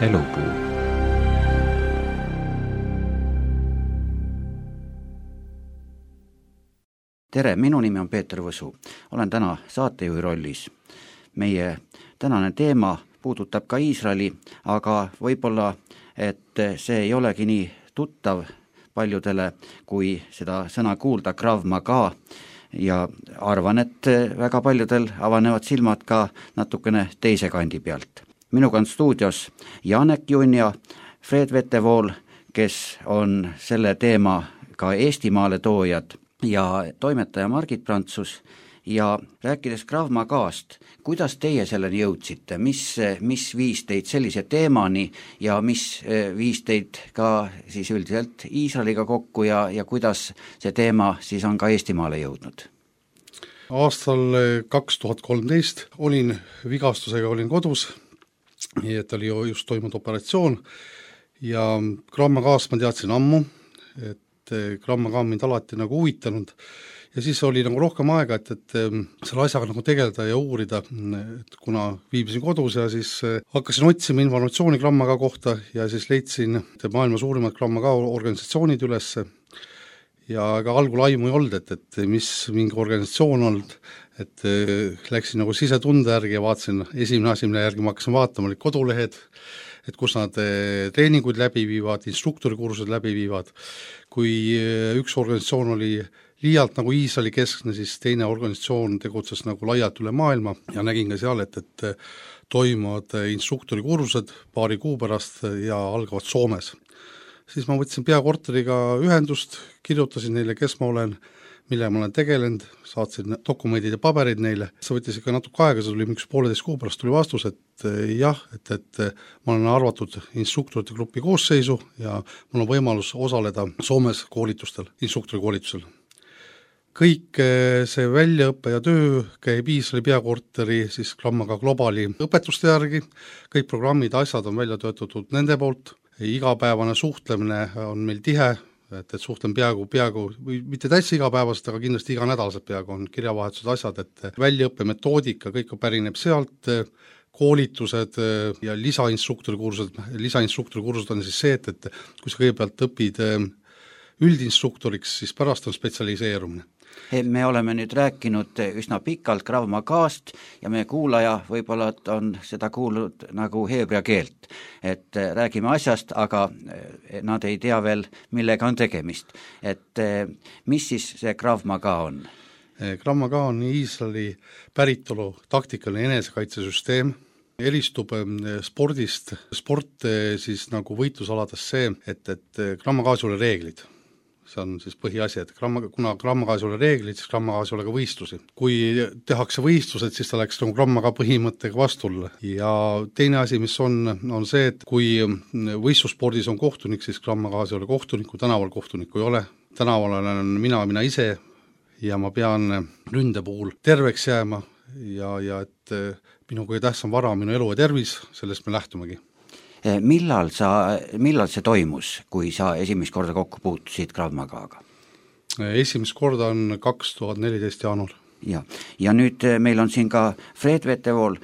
Elupuu. Tere, minu nimi on Peeter Võsu. Olen täna saatejuhi rollis. Meie tänane teema puudutab ka Iisraeli, aga võib-olla, et see ei olegi nii tuttav paljudele, kui seda sõna kuulda, Krav Maga, ja arvan, et väga paljudel avanevad silmad ka natukene teise kandi pealt. Minuga on stuudios Janek Junja, Fred Vetevool, kes on selle teema ka Eestimaale toojad, ja toimetaja Margit Prantsus. Ja rääkides Krav Magast, kuidas teie selleni jõudsite, mis viis teid sellise teemani ja mis viis teid ka siis üldiselt Iisraeliga kokku ja kuidas see teema siis on ka Eestimaale jõudnud? Aastal 2013 olin vigastusega, olin kodus, nii et oli just toimunud operatsioon ja Krav Magast ma teadsin ammu, et Krav Maga on mind alati nagu huvitanud. Ja siis oli nagu rohkem aega, et selle asjaga nagu tegeleda ja uurida, et kuna viibisin kodus ja siis hakkasin otsima informatsiooni Krav Maga kohta ja siis leidsin maailma suurimad Krav Maga organisatsioonid üles ja ka algul aimu ei olnud, et mis mingi organisatsioon olnud, et läksin nagu sisetunde järgi ja vaatasin, esimene asi, mille järgi ma hakkasin vaatama, olid kodulehed, et kus nad treeninguid läbi viivad, instruktorikursused läbi viivad. Kui üks organisatsioon oli liialt nagu Iisraeli keskne, siis teine organisatsioon tegutses nagu laialt üle maailma ja nägin ka seal, et toimuvad instruktorikursused paari kuu pärast ja algavad Soomes. Siis ma võtsin peakorteriga ühendust, kirjutasin neile, kes ma olen, mille ma olen tegelenud, saatsin dokumendid ja paberid neile. See võttis ikka natuke aega, see tuli 1,5 kuu pärast tuli vastus, et jah, et ma olen arvatud instruktorite grupi koosseisu ja mul on võimalus osaleda Soomes koolitustel, instruktori koolitusel. Kõik see väljaõppe ja töö käib Iisraeli peakorteri siis Krav Maga Globali õpetuste järgi, kõik programmid, asjad on välja töötatud nende poolt, igapäevane suhtlemine on meil tihe, et suhtlen peaaegu, mitte täitsa igapäevast, aga kindlasti iganädalased peaaegu on kirjavahetused asjad, et väljaõppe metoodika, kõik pärineb sealt, koolitused ja lisainstruktori kursused on siis see, et kui sa kõigepealt õpid üldinstruktoriks, siis pärast on spetsialiseerumine. Me oleme nüüd rääkinud üsna pikalt Krav Magast ja meie kuulaja võib-olla on seda kuulnud nagu heebrea keelt, et räägime asjast, aga nad ei tea veel, millega on tegemist. Et mis siis see Krav Maga on? Krav Maga on Iisraeli päritolu taktikaline enesekaitsesüsteem, eristub spordist. Sport siis nagu võitlusalades see, et Krav Magas ei ole reeglid. See on siis põhiasi, et kuna Krav Magas ei ole reeglid, siis Krav Magas ei ole ka võistlusi. Kui tehakse võistlused, siis ta läks nagu Krav Maga põhimõttega vastulle. Ja teine asi, mis on see, et kui võistlusspordis on kohtunik, siis Krav Magas ei ole kohtunikku, tänaval kohtunikku ei ole. Tänaval olen mina ise ja ma pean ründe puhul terveks jääma ja et minu kõige tähtsam vara, minu elu ja tervis, sellest me lähtumegi. Millal see toimus, kui sa esimest korda kokku puutusid Krav Magaga? Esimest korda on 2014 jaanuar. Ja nüüd meil on siin ka Fred Vetevool.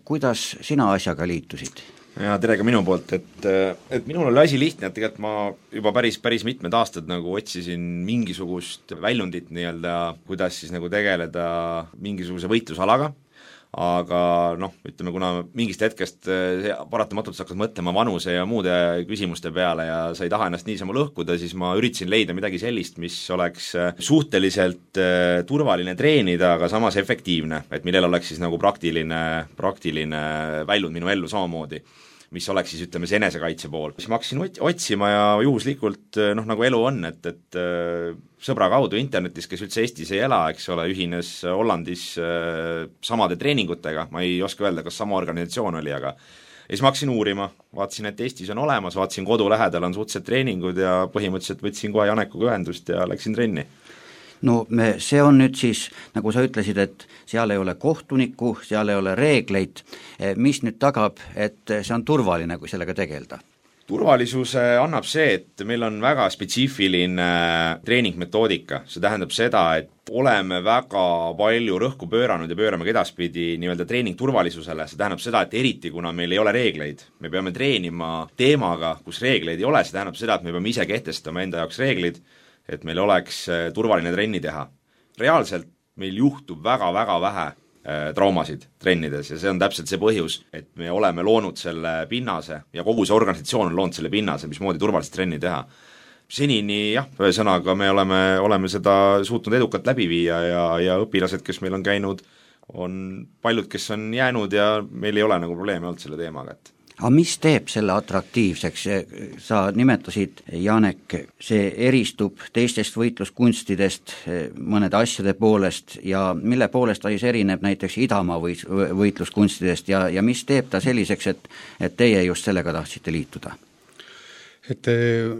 Kuidas sina asjaga liitusid? Ja tere ka minu poolt, et minul oli asi lihtne, et tegelikult ma juba päris mitmed aastad nagu otsisin mingisugust väljundit nii-öelda, kuidas siis nagu tegeleda mingisuguse võitlusalaga, aga ütleme, kuna mingist hetkest paratamatult sa hakkad mõtlema vanuse ja muude küsimuste peale ja sa ei taha ennast niisama lõhkuda, siis ma üritasin leida midagi sellist, mis oleks suhteliselt turvaline treenida, aga samas efektiivne, et millel oleks siis nagu praktiline väljund minu ellu samamoodi, mis oleks siis ütleme see enesekaitse pool. Siis ma hakkasin otsima ja juhuslikult nagu elu on, et sõbra kaudu internetis, kes üldse Eestis ei ela, eks ole, ühines Hollandis samade treeningutega, ma ei oska öelda, kas sama organisatsioon oli, aga ja siis ma hakkasin uurima, vaatasin, et Eestis on olemas, vaatasin kodu lähedal on suhteliselt treeningud ja põhimõtteliselt võtsin kohe Janekuga ühendust ja läksin trenni. No see on nüüd siis, nagu sa ütlesid, et seal ei ole kohtunikku, seal ei ole reegleid, mis nüüd tagab, et see on turvaline, kui sellega tegelda? turvalisuse annab see, et meil on väga spetsiifiline treeningmetoodika, see tähendab seda, et oleme väga palju rõhku pööranud ja pöörame ka edaspidi nii-öelda treeningturvalisusele, see tähendab seda, et eriti kuna meil ei ole reegleid, me peame treenima teemaga, kus reegleid ei ole, see tähendab seda, et me peame ise kehtestama enda jaoks reeglid, et meil oleks turvaline trenni teha. Reaalselt meil juhtub väga-väga vähe traumasid trennides ja see on täpselt see põhjus, et me oleme loonud selle pinnase ja kogu see organisatsioon on loonud selle pinnase, mismoodi turvalist trenni teha. Senini jah, ühesõnaga me oleme seda suutnud edukalt läbi viia ja õpilased, kes meil on käinud, on paljud, kes on jäänud ja meil ei ole nagu probleemi olnud selle teemaga, et aga mis teeb selle atraktiivseks, sa nimetasid, Janek, see eristub teistest võitluskunstidest mõnede asjade poolest ja mille poolest ta siis erineb näiteks Idamaa võitluskunstidest ja mis teeb ta selliseks, et teie just sellega tahtsite liituda? Et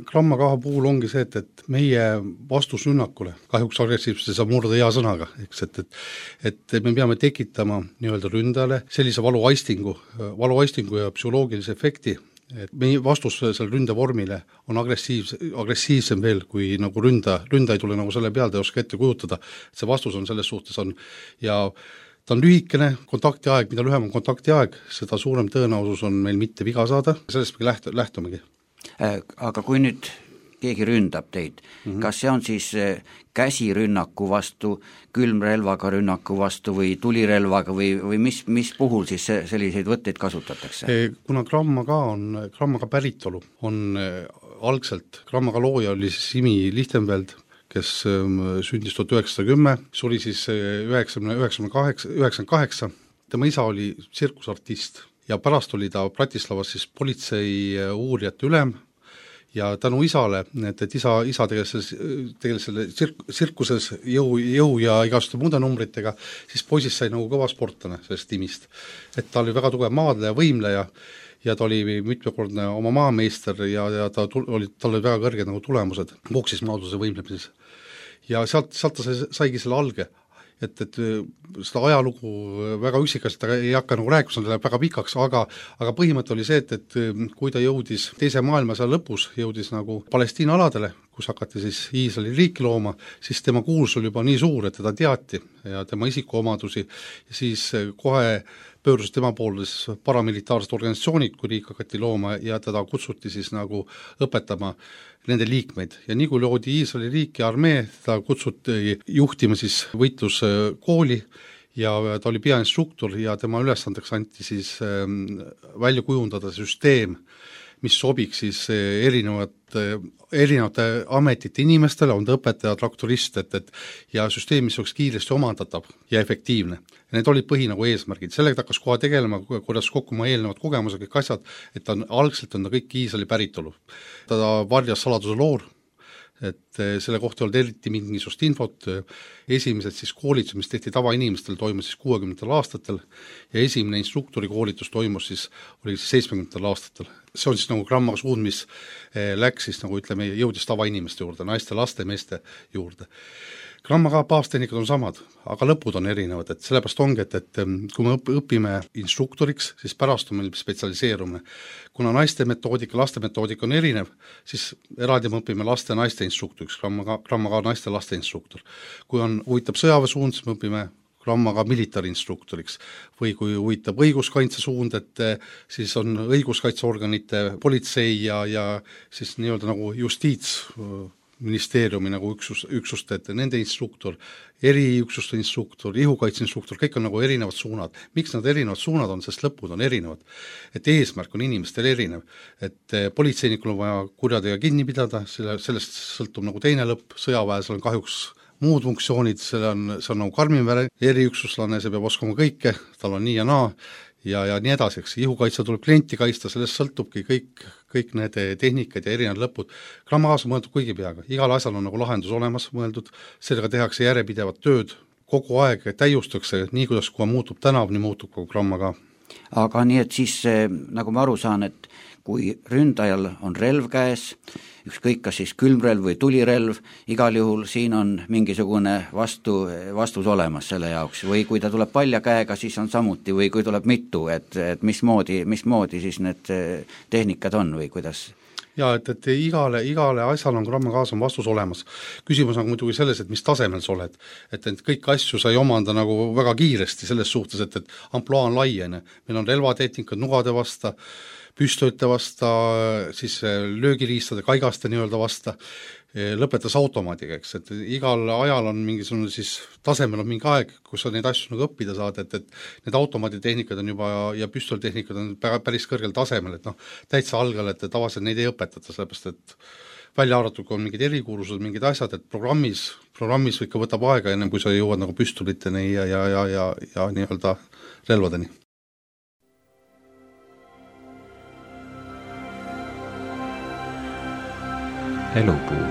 Gramma K puhul ongi see, et meie vastusrünnakule, kahjuks agressiivsust ei saa murda hea sõnaga, eks, et me peame tekitama nii-öelda ründajale sellise valuaistingu ja psühholoogilise efekti, et meie vastus selle ründevormile on agressiivsem veel, kui nagu ründa ei tule nagu selle peale, ei oska ette kujutada, et see vastus on selles suhtes on ja ta on lühikene kontaktiaeg, mida lühem on kontaktiaeg, seda suurem tõenäosus on meil mitte viga saada, sellest me lähtumegi. Aga kui nüüd keegi ründab teid, kas see on siis käsirünnaku vastu, külmrelvaga rünnaku vastu või tulirelvaga või mis puhul siis selliseid võtteid kasutatakse? Kuna Gramma K päritolu on algselt, Gramma K looja oli siis Imi Lichtenfeld, kes sündis 1910, suri siis 1998, tema isa oli tsirkusartist ja pärast oli ta Bratislavas siis politsei uurijate ülem ja tänu isale, et isa tegeles selle tsirkuses jõu ja igaste muude numbritega, siis poisist sai nagu kõva sportlane sellest timist. Et ta oli väga tugev maadleja, võimleja ja ta oli mitmekordne oma maameister ja tal oli väga kõrged nagu tulemused boksis maadluse võimlemises. Ja sealt ta saigi selle alge. Et seda ajalugu väga üksikast ei hakka nagu rääkima, see läheb väga pikaks, aga põhimõte oli see, et kui ta jõudis teise maailmasõja lõpus, jõudis nagu Palestiina aladele, kus hakati siis Iisraeli riiki looma, siis tema kuulsus oli juba nii suur, et teda teati ja tema isikuomadusi ja siis kohe pöörus tema poole siis paramilitaarsed organisatsioonid, kui riik hakati looma ja teda kutsuti siis nagu õpetama nende liikmeid ja nii kui loodi Iisraeli riik ja armee, ta kutsuti juhtima siis võitluskooli ja ta oli peainstruktor ja tema ülesandeks anti siis välja kujundada süsteem, mis sobiks siis erinevate ametite inimestele, on ta õpetaja, traktorist, ja süsteem, mis oleks kiiresti omandatav ja efektiivne. Ja need olid nagu eesmärgid. Sellega ta hakkas kohe tegelema, kuidas kokku oma eelnevad kogemused, kõik asjad, et algselt on ta kõik Iisraeli päritolu. Ta varjas saladuse loor, et selle kohta oli eriti mingisugust infot, esimesed siis koolitused, mis tehti tavainimestel, toimus siis 60. aastatel ja esimene instruktori koolitus toimus siis, oli siis 70. aastatel. See on siis nagu Gramma suund, mis läks siis nagu ütleme, jõudis tavainimeste juurde, naiste, laste, meeste juurde. Gramma K baastehnikad on samad, aga lõpud on erinevad, et sellepärast ongi, et kui me õpime instruktoriks, siis pärast on meil spetsialiseerumine. Kuna naiste metoodika, laste metoodika on erinev, siis eraldi me õpime laste ja naiste instruktoriks, Gramma K naiste ja laste instruktor. Kui on huvitab sõjaväe suund, siis me õpime Gramma K militari instruktoriks või kui huvitab õiguskaitse suund, et siis on õiguskaitseorganite, politsei ja siis nii-öelda nagu justiitsministeeriumi nagu üksuste, et nende instruktor, eriüksuste instruktor, ihukaitse instruktor, kõik on nagu erinevad suunad. Miks nad erinevad suunad on, sest lõpud on erinevad. Et eesmärk on inimestel erinev. Et politseinikul on vaja kurjadega kinni pidada, sellest sõltub nagu teine lõpp, sõjaväes on kahjuks muud funktsioonid, see on nagu karmimväre, eriüksuslane, see peab oskama kõike, tal on nii ja naa ja nii edasi, eks ihukaitse tuleb klienti kaitsta, sellest sõltubki kõik need tehnikad ja erinevad lõpud. Gramma K on mõeldud kõigi peaga, igal asjal on nagu lahendus olemas mõeldud, sellega tehakse järjepidevat tööd, kogu aeg täiustakse, nii kui muutub tänav, nii muutub kogu Gramma K. Aga nii, et siis nagu ma aru saan, et kui ründajal on relv käes, ükskõik kas siis külmrelv või tulirelv, igal juhul siin on mingisugune vastus olemas selle jaoks või kui ta tuleb palja käega, siis on samuti või kui tuleb mitu, et mismoodi siis need tehnikad on või kuidas? Jaa, et igale asjal on gramma gaas on vastus olemas. Küsimus on muidugi selles, et mis tasemel sa oled. Et kõik asju sa ei omanda nagu väga kiiresti selles suhtes, et amploa on laiene. Meil on relvatehnikad nugade vasta, püstolite vasta, siis löögiriistade, kaigaste nii-öelda vasta, lõpetas automaadiga, eks, et igal ajal on mingisugune siis tasemel on mingi aeg, kus sa neid asju nagu õppida saad, et need automaaditehnikad on juba ja püstoltehnikad on päris kõrgel tasemel, et täitsa algal, et tavaliselt neid ei õpetata, sellepärast et välja arvatud, kui on mingid erikuursused, mingid asjad, et programmis ikka võtab aega ennem, kui sa jõuad nagu püstoliteni ja nii-öelda relvadeni. Elupuu.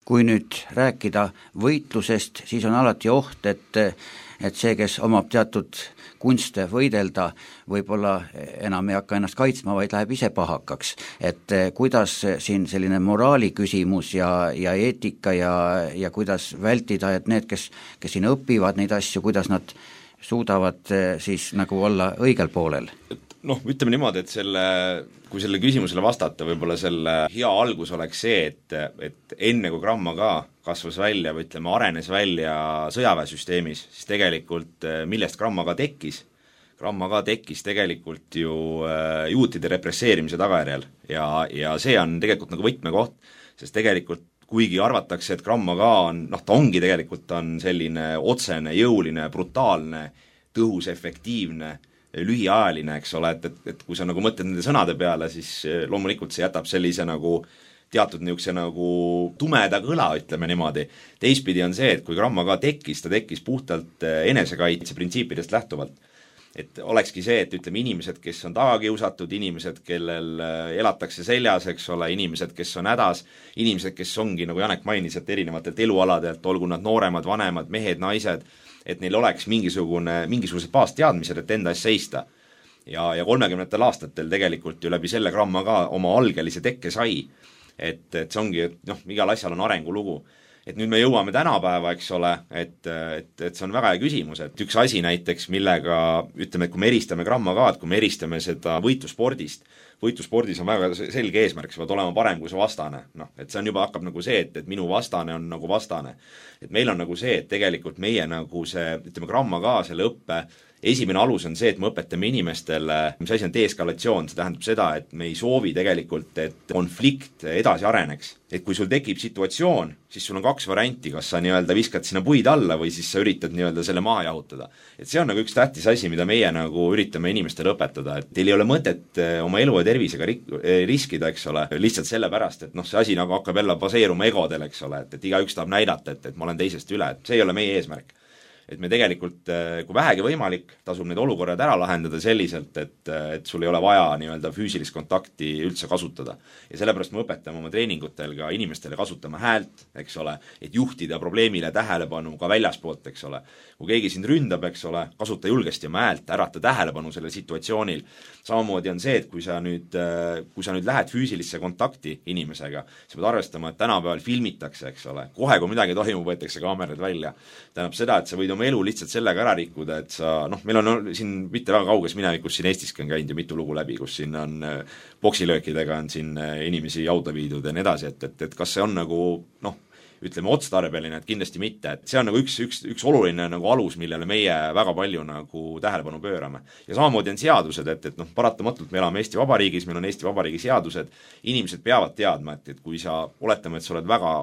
Kui nüüd rääkida võitlusest, siis on alati oht, et see, kes omab teatud kunste võidelda, võib-olla enam ei hakka ennast kaitsma, vaid läheb ise pahakaks. Et kuidas siin selline moraali küsimus ja eetika ja kuidas vältida, et need, kes siin õpivad neid asju, kuidas nad suudavad siis nagu olla õigel poolel? Ütleme niimoodi, et kui selle küsimusele vastata, võib-olla selle hea algus oleks see, et enne kui gramma ka kasvas välja või ütleme, arenes välja sõjaväesüsteemis, siis tegelikult millest gramma ka tekkis? Gramma ka tekkis tegelikult ju juutide represseerimise tagajärjel ja see on tegelikult nagu võtmekoht, sest tegelikult kuigi arvatakse, et gramma ka on, ta ongi tegelikult on selline otsene, jõuline, brutaalne, tõhus, efektiivne, lühiajaline, eks ole, et kui sa nagu mõtled nende sõnade peale, siis loomulikult see jätab sellise nagu teatud niisuguse nagu tumeda kõla, ütleme niimoodi. Teistpidi on see, et kui gramma ka tekkis, ta tekkis puhtalt enesekaitse printsiipidest lähtuvalt. Et olekski see, et ütleme inimesed, kes on tagakiusatud, inimesed, kellel elatakse seljas, eks ole, inimesed, kes on hädas, inimesed, kes ongi, nagu Janek mainis, et erinevatelt elualadelt, olgu nad nooremad, vanemad, mehed, naised, et neil oleks mingisugused baasteadmised, et enda eest seista. Ja 30. aastatel tegelikult ju läbi selle gramma ka oma algelise tekke sai, et see ongi, igal asjal on arengulugu. Et nüüd me jõuame tänapäeva, eks ole, et see on väga hea küsimus, et üks asi näiteks, millega ütleme, et kui me eristame gramma ka, et kui me eristame seda võitluspordis on väga selge eesmärk, sa pead olema parem kui su vastane. Et see on juba hakkab nagu see, et minu vastane on nagu vastane. Et meil on nagu see, et tegelikult meie nagu see, ütleme gramma ka selle õppe esimene alus on see, et me õpetame inimestele, mis asi on deeskalatsioon, see tähendab seda, et me ei soovi tegelikult, et konflikt edasi areneks. Et kui sul tekib situatsioon, siis sul on 2 varianti, kas sa nii-öelda viskad sinna puid alla või siis sa üritad nii-öelda selle maha jahutada. Et see on nagu üks tähtis asi, mida meie nagu üritame inimestele õpetada, et teil ei ole mõtet oma elu ja tervisega riskida, eks ole, lihtsalt sellepärast, et see asi nagu hakkab jälle baseeruma egodel, eks ole, et igaüks tahab näidata, et ma olen teisest üle, et see ei ole meie eesmärk. Et me tegelikult, kui vähegi võimalik, tasub need olukorrad ära lahendada selliselt, et sul ei ole vaja nii-öelda füüsilist kontakti üldse kasutada. Ja sellepärast me õpetame oma treeningutel ka inimestele kasutama häält, eks ole, et juhtida probleemile tähelepanu ka väljaspoolt, eks ole. Kui keegi sind ründab, eks ole, kasuta julgesti oma häält, ärata tähelepanu selle situatsioonil. Samamoodi on see, et kui sa nüüd lähed füüsilisse kontakti inimesega, sa pead arvestama, et tänapäeval filmitakse, eks ole, kohe kui midagi toimub, võetakse kaamerad välja. Tähendab seda, et sa võid oma elu lihtsalt sellega ära rikkuda, et sa, meil on siin mitte väga kauges minevikus siin Eestiski on käinud ju mitu lugu läbi, kus siin on poksilöökidega on siin inimesi jauda viidud ja nii edasi, et kas see on nagu, ütleme otstarbeline, et kindlasti mitte, et see on nagu üks oluline nagu alus, millele meie väga palju nagu tähelepanu pöörame. Ja samamoodi on seadused, et paratamatult me elame Eesti Vabariigis, meil on Eesti Vabariigi seadused, inimesed peavad teadma, et kui sa oletame, et sa oled väga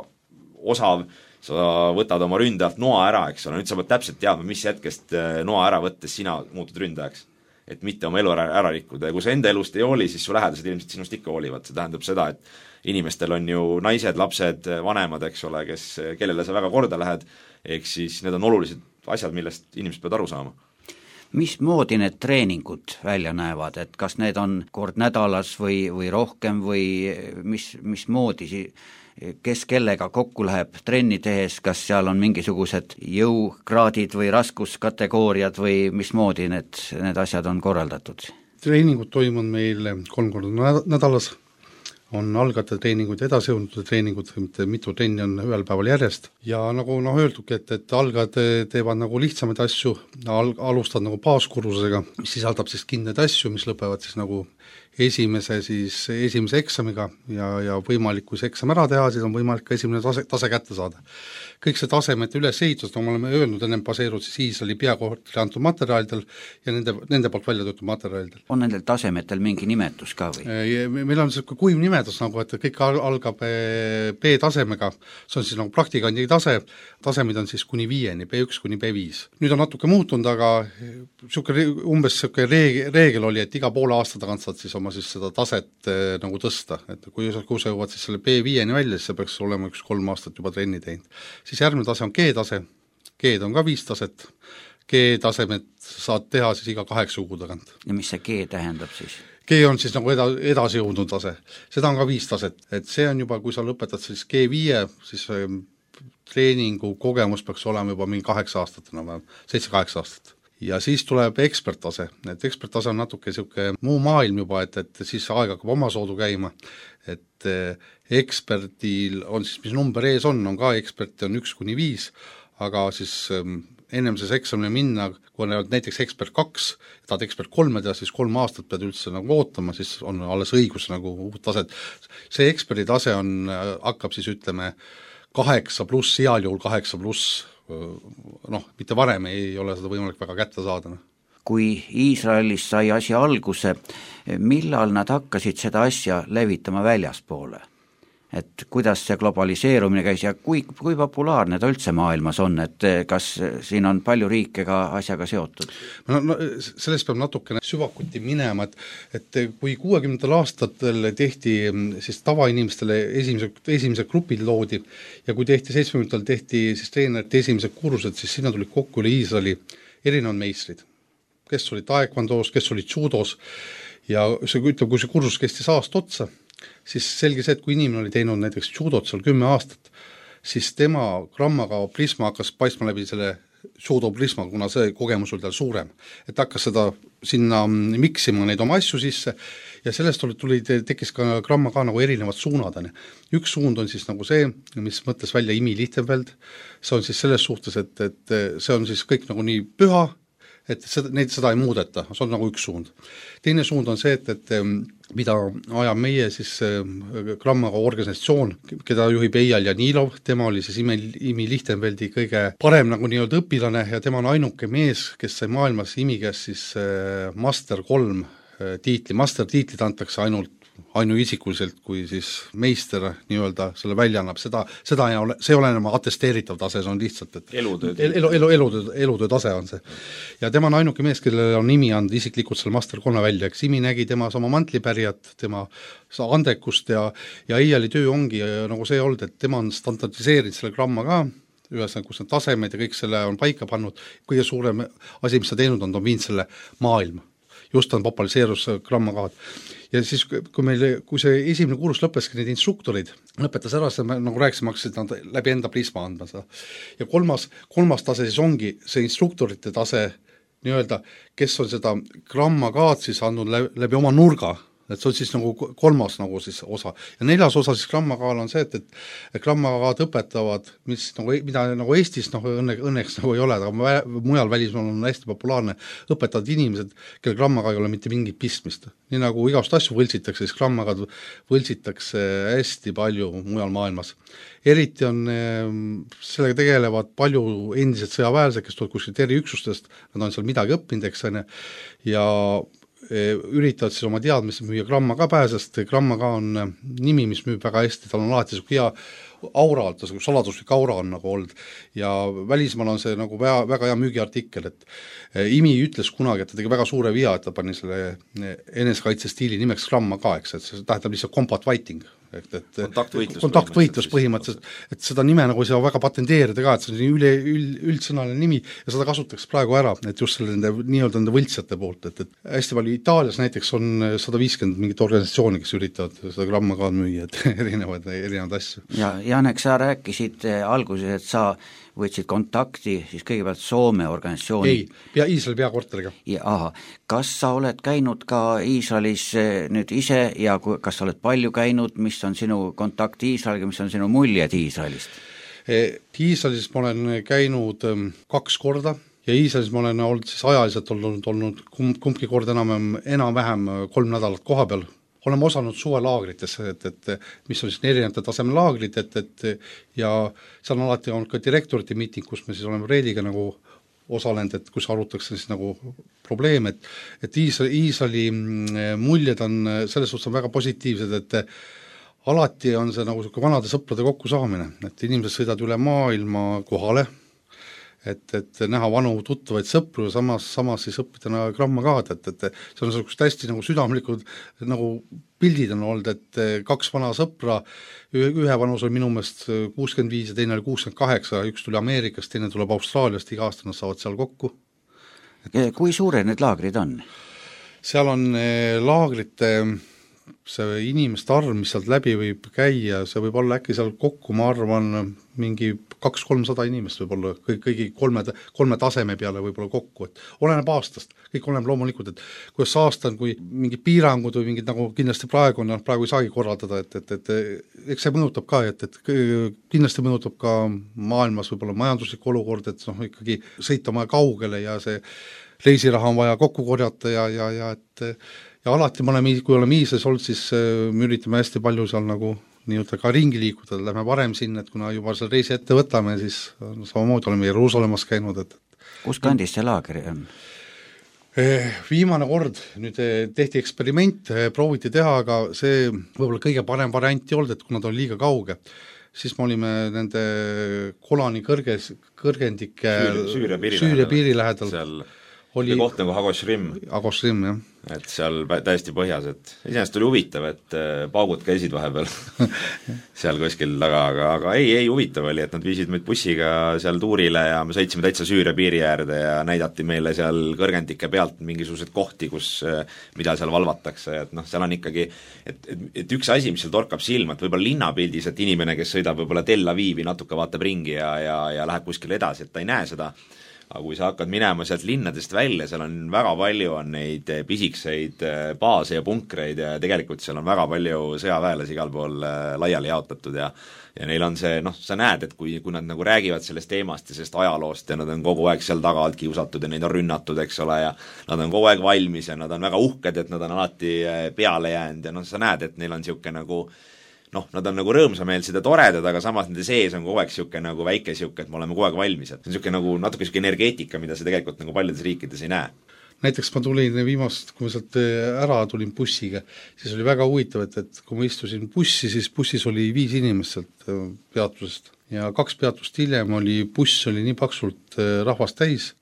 osav, sa võtad oma ründajalt noa ära, eks ole, nüüd sa pead täpselt teadma, mis hetkest noa ära võttes sina muutud ründajaks. Et mitte oma elu ära rikkuda ja kui sa enda elust ei hooli, siis su lähedased ilmselt sinust ikka hoolivad, see tähendab seda, et inimestel on ju naised, lapsed, vanemad, eks ole, kellele sa väga korda lähed, ehk siis need on olulised asjad, millest inimesed peavad aru saama. Mismoodi need treeningud välja näevad, et kas need on kord nädalas või rohkem või mismoodi kes kellega kokku läheb trenni tehes, kas seal on mingisugused jõukraadid või raskuskategooriad või mismoodi need asjad on korraldatud? Treeningud toimuvad meil 3 korda nädalas, on algajate treeningud ja edasijõudnute treeningud, mitu trenni on ühel päeval järjest ja nagu öeldudki, et algajad teevad nagu lihtsamaid asju, alustavad nagu baaskursusega, mis sisaldab siis kindlaid asju, mis lõpevad siis nagu esimese eksamiga ja võimalik, kui see eksam ära teha, siis on võimalik ka esimene tase kätte saada. Kõik see tasemete ülesehitus, nagu me oleme öelnud, ennem baseerud siis Iisraeli peakorteri antud materjalidel ja nende poolt välja töötud materjalidel. On nendel tasemetel mingi nimetus ka või? Meil on selline kuiv nimetus nagu, et kõik algab B-tasemega, see on siis nagu praktikandi tase, tasemid on siis kuni 5-ni, B1 kuni B5. Nüüd on natuke muutunud, aga umbes reegel oli, et iga poole aasta tagant saad siis oma siis seda taset nagu tõsta, et kui sa jõuad siis selle B5-ni välja, siis see peaks olema 3 aastat juba trenni teinud. Siis järgmine tase on G-tase, G-d on ka 5 taset, G-tasemed saad teha siis iga 8 kuu tagant. Ja mis see G tähendab siis? G on siis nagu edasi jõudnud tase, seda on ka 5 taset, et see on juba, kui sa lõpetad siis G5, siis treeningu kogemus peaks olema juba mingi 8 aastat, 7-8 aastat. Ja siis tuleb eksperttase, et eksperttase on natuke niisugune muu maailm juba, et siis aeg hakkab omasoodu käima, et eksperdil on siis, mis number ees on ka eksperti on 1-5, aga siis ennem see eksamile minna, kui on näiteks ekspert 2, tahad ekspert 3 teha, siis 3 aastat pead üldse nagu ootama, siis on alles õigus nagu uut taset. See eksperdi tase hakkab siis ütleme 8+, heal juhul 8+, mitte varem ei ole seda võimalik väga kätte saada. Kui Iisraelis sai asja alguse, millal nad hakkasid seda asja levitama väljaspoole? Et kuidas see globaliseerumine käis ja kui populaarne ta üldse maailmas on, et kas siin on palju riike ka asjaga seotud? Sellest peab natukene süvakuti minema, et kui 60. aastatel tehti siis tavainimestele esimesed grupid loodi ja kui tehti 70. tehti siis treenerite esimesed kursused, siis sinna tuli kokku üle Iisraeli erinevad meistrid, kes olid taekwondos, kes olid judos ja kui see kursus kestis aasta otsa, siis selge see, et kui inimene oli teinud näiteks judot seal 10 aastat, siis tema grammaga prisma hakkas paistma läbi selle judo prisma, kuna see kogemus oli tal suurem. Et hakkas seda sinna miksima neid oma asju sisse ja sellest tekkis ka gramma ka nagu erinevad suunad. Üks suund on siis nagu see, mis mõtles välja Imi Lichtenfeld, see on siis selles suhtes, et see on siis kõik nagu nii püha, et seda ei muudeta, see on nagu üks suund. Teine suund on see, et mida ajab meie siis grammaga organisatsioon, keda juhib Eyal Janilov, tema oli siis Imi Lichtenfeldi kõige parem nagu nii-öelda õpilane ja tema on ainuke mees, kes sai maailmas Imi käest siis Master 3 tiitli, Master tiitlid antakse ainuisikuliselt, kui siis meister nii-öelda selle välja annab, see ei ole enam atesteeritav tase, see on lihtsalt, et elutöö tase on see. Ja tema on ainuke mees, kellele on Imi andnud isiklikult selle Master 3 välja, eks Imi nägi tema sama mantlipärijat, tema andekust ja Eyali töö ongi nagu see olnud, et tema on standardiseerinud selle gramma ka, ühesõnaga, kus need tasemed ja kõik selle on paika pannud, kõige suurem asi, mis ta teinud on viinud selle maailma. Just on populariseerus grammakaad. Ja siis, kui see esimene kursus lõppeski, need instruktorid lõpetas ära, nagu rääkisime, hakkasid nad läbi enda prisma andma seda. Ja kolmas tase siis ongi see instruktorite tase, nii-öelda, kes on seda grammakaad siis andnud läbi oma nurga, et see on siis nagu kolmas nagu siis osa. Ja 4. osa siis grammakaal on see, et grammakaad õpetavad, mida nagu Eestis õnneks nagu ei ole, aga mujal välismaal on hästi populaarne, õpetavad inimesed, kelle grammakaal ei ole mitte mingit pistmist. Nii nagu igast asju võltsitakse, siis grammakaad võltsitakse hästi palju mujal maailmas. Eriti on, sellega tegelevad palju endised sõjaväelased, kes tulevad kuskilt eriüksustest, nad on seal midagi õppinud, eks on, ja üritavad siis oma teadmisi müüa gramma ka pääsest, gramma ka on nimi, mis müüb väga hästi, tal on alati hea aura, saladuslik aura on nagu olnud ja välismaal on see nagu väga hea müügiartikkel, et Imi ütles kunagi, et ta tegi väga suure via, et ta pani selle enesekaitse stiili nimeks gramma ka, eks, et see tähendab lihtsalt combat fighting, kontaktvõitlus põhimõtteliselt, et seda nime nagu ei saa väga patenteerida ka, et see on üldsõnaline nimi ja seda kasutatakse praegu ära, et just selle nende võltsjate poolt, et hästi palju Itaalias näiteks on 150 mingit organisatsiooni, kes üritavad seda gramma ka müüa, et erinevaid asju. Ja Janek, sa rääkisid alguses, et sa võtsid kontakti siis kõigepealt Soome organisatsiooni. Ei, Iisraeli peakorteriga. Kas sa oled käinud ka Iisraelis nüüd ise ja kas sa oled palju käinud, mis on sinu kontakt Iisraeliga, mis on sinu muljed Iisraelist? Iisraelis ma olen käinud 2 korda ja Iisraelis ma olen olnud siis ajaliselt olnud kumbki kord enam-vähem 3 nädalat koha peal. Oleme osanud suvelaagrites, et mis on siis erinevate tasemelaagrid, ja seal on alati olnud ka direktorite miiting, kus me siis oleme Reediga nagu osalenud, et kus arutakse siis nagu probleem, et Iisraeli muljed on selles suhtes on väga positiivsed, et alati on see nagu vanade sõprade kokkusaamine, et inimesed sõidavad üle maailma kohale, et näha vanu tuttavaid sõpru ja samas siis õppida gramma ka, et see on sellist hästi nagu südamlikud nagu pildid on olnud, et 2 vana sõpra, ühe vanus oli minu meelest 65 ja teine oli 68, üks tuli Ameerikast, teine tuleb Austraaliast, iga aasta nad saavad seal kokku. Kui suured need laagrid on? Seal on laagrite see inimeste arv, mis sealt läbi võib käia, see võib olla äkki seal kokku, ma arvan, mingi 200-300 inimest võib olla kõigi kolme taseme peale võib olla kokku, et oleneb aastast, kõik oleneb loomulikult, et kuidas aasta on, kui mingid piirangud või mingid nagu kindlasti praegu ei saagi korraldada, et eks see mõjutab ka, et kindlasti mõjutab ka maailmas võib-olla majanduslik olukord, et ikkagi sõita maja kaugele ja see reisiraha on vaja kokku korjata ja alati kui oleme Iisraelis olnud, siis me üritame hästi palju seal nagu nii-öelda ka ringi liikuda, lähme varem sinna, et kuna juba seal reisi ette võtame, siis samamoodi oleme Jeruusalemmas käinud. Kus kandis see laager on? Viimane kord nüüd tehti eksperiment, prooviti teha, aga see võib-olla kõige parem variant ei olnud, et kuna ta oli liiga kauge, siis me olime nende Golani kõrgendike Süüria piiri lähedal. Seal oli koht nagu Hagoshrim, jah. Et seal täiesti põhjas, et iseenesest oli huvitav, et paugud käisid vahepeal seal kuskil taga, aga ei huvitav oli, et nad viisid meid bussiga seal tuurile ja me sõitsime täitsa Süüria piiri äärde ja näidati meile seal kõrgendike pealt mingisuguseid kohti, mida seal valvatakse, et seal on ikkagi, et üks asi, mis seal torkab silma, et võib-olla linnapildis, et inimene, kes sõidab võib-olla Tel Avivi, natuke vaatab ringi ja läheb kuskile edasi, et ta ei näe seda, aga kui sa hakkad minema sealt linnadest välja, seal on väga palju on neid pisikseid baase ja punkreid ja tegelikult seal on väga palju sõjaväelasi igal pool laiali jaotatud ja neil on see, sa näed, et kui nad nagu räägivad sellest teemast ja sellest ajaloost ja nad on kogu aeg seal taga alt kiusatud ja neid on rünnatud, eks ole, ja nad on kogu aeg valmis ja nad on väga uhked, et nad on alati peale jäänud ja sa näed, et neil on niisugune nagu nad on nagu rõõmsameelsed ja toredad, aga samas nende sees on kogu aeg niisugune nagu väike niisugune, et me oleme kogu aeg valmis, et see on niisugune nagu natuke niisugune energeetika, mida sa tegelikult nagu paljudes riikides ei näe. Näiteks ma tulin viimast, kui ma sealt ära tulin bussiga, siis oli väga huvitav, et kui ma istusin bussi, siis bussis oli 5 inimest sealt peatusest ja 2 peatust hiljem buss oli nii paksult rahvast täis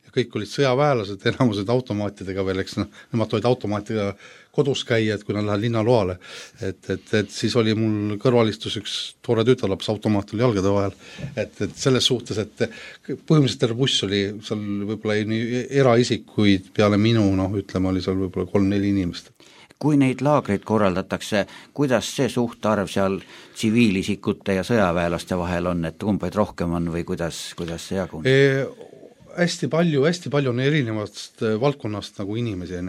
ja kõik olid sõjaväelased, enamused automaatidega veel, eks nemad olid automaatiga kodus käia, et kui nad lähevad linnaloale, et siis oli mul kõrvalistus üks toore tütarlaps, automaat oli jalgade vahel, et selles suhtes, et põhimõtteliselt terve buss oli seal võib-olla eraisikuid peale minu, ütleme, oli seal võib-olla 3-4 inimest. Kui neid laagreid korraldatakse, kuidas see suhtarv seal tsiviilisikute ja sõjaväelaste vahel on, et kumbaid rohkem on või kuidas see jaguneb? Hästi palju on erinevast valdkonnast nagu inimesi,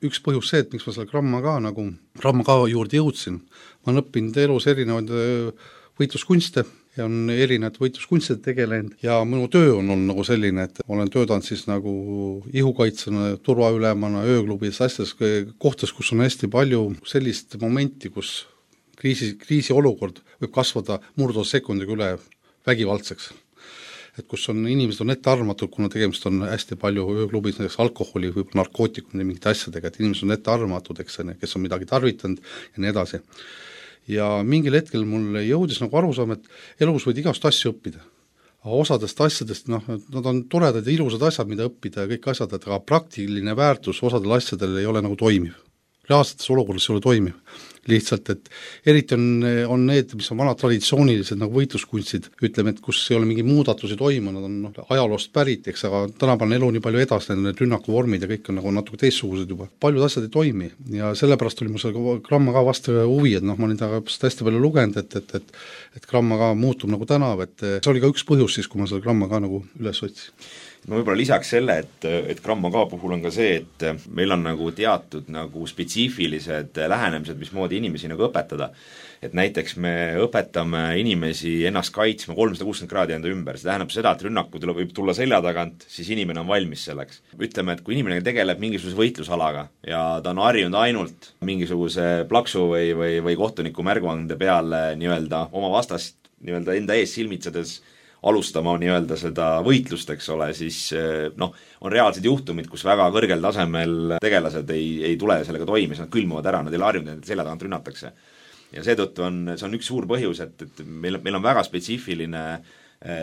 üks põhjus see, et miks ma selle gramma ka juurde jõudsin, ma olen õppinud elus erinevaid võitluskunste ja on erinevad võitluskunstid tegelenud ja minu töö on olnud nagu selline, et olen töötanud siis nagu ihukaitsena, turvaülemana, ööklubis, asjades, kohtades, kus on hästi palju sellist momenti, kus kriisiolukord võib kasvada murdosekundiga üle vägivaldseks. Et kus on inimesed on ettearvatud, kuna tegemist on hästi palju ööklubis, näiteks alkoholi või narkootikumide mingite asjadega, et inimesed on ettearvatud, eks, kes on midagi tarvitanud ja nii edasi. Ja mingil hetkel mul jõudis nagu arusaam, et elus võid igast asju õppida. Aga osadest asjadest, nad on toredad ja ilusad asjad, mida õppida ja kõik asjad, aga praktiline väärtus osadel asjadel ei ole nagu toimiv. reaalsetes olukordades ei ole toimiv. Lihtsalt, et eriti on need, mis on vanad traditsioonilised nagu võitluskunstid, ütleme, et kus ei ole mingi muudatusi toimunud, on ajaloost pärit, eks, aga tänapäeval elu nii palju edasi, need rünnakuvormid ja kõik on nagu natuke teistsugused juba. Paljud asjad ei toimi ja sellepärast oli mul selle Gramma ka vastu huvi, et ma olin taga hästi palju lugenud, et Gramma ka muutub nagu tänav, et see oli ka üks põhjus siis, kui ma selle Gramma ka nagu üles otsin. Ma võib-olla lisaks selle, et Gramma K puhul on ka see, et meil on nagu teatud nagu spetsiifilised lähenemised, mismoodi inimesi nagu õpetada. Et näiteks me õpetame inimesi ennast kaitsma 360 kraadi enda ümber, see tähendab seda, et rünnakud võib tulla selja tagant, siis inimene on valmis selleks. Ütleme, et kui inimene tegeleb mingisuguse võitlusalaga ja ta on harjunud ainult mingisuguse plaksu või kohtuniku märguande peale nii-öelda oma vastast nii-öelda enda ees silmitsedes alustama nii-öelda seda võitlust, eks ole, siis on reaalsed juhtumid, kus väga kõrgel tasemel tegelased ei tule sellega toime, nad külmuvad ära, nad ei ole harjunud, et selja tagant rünnatakse. Ja seetõttu see on üks suur põhjus, et meil on väga spetsiifiline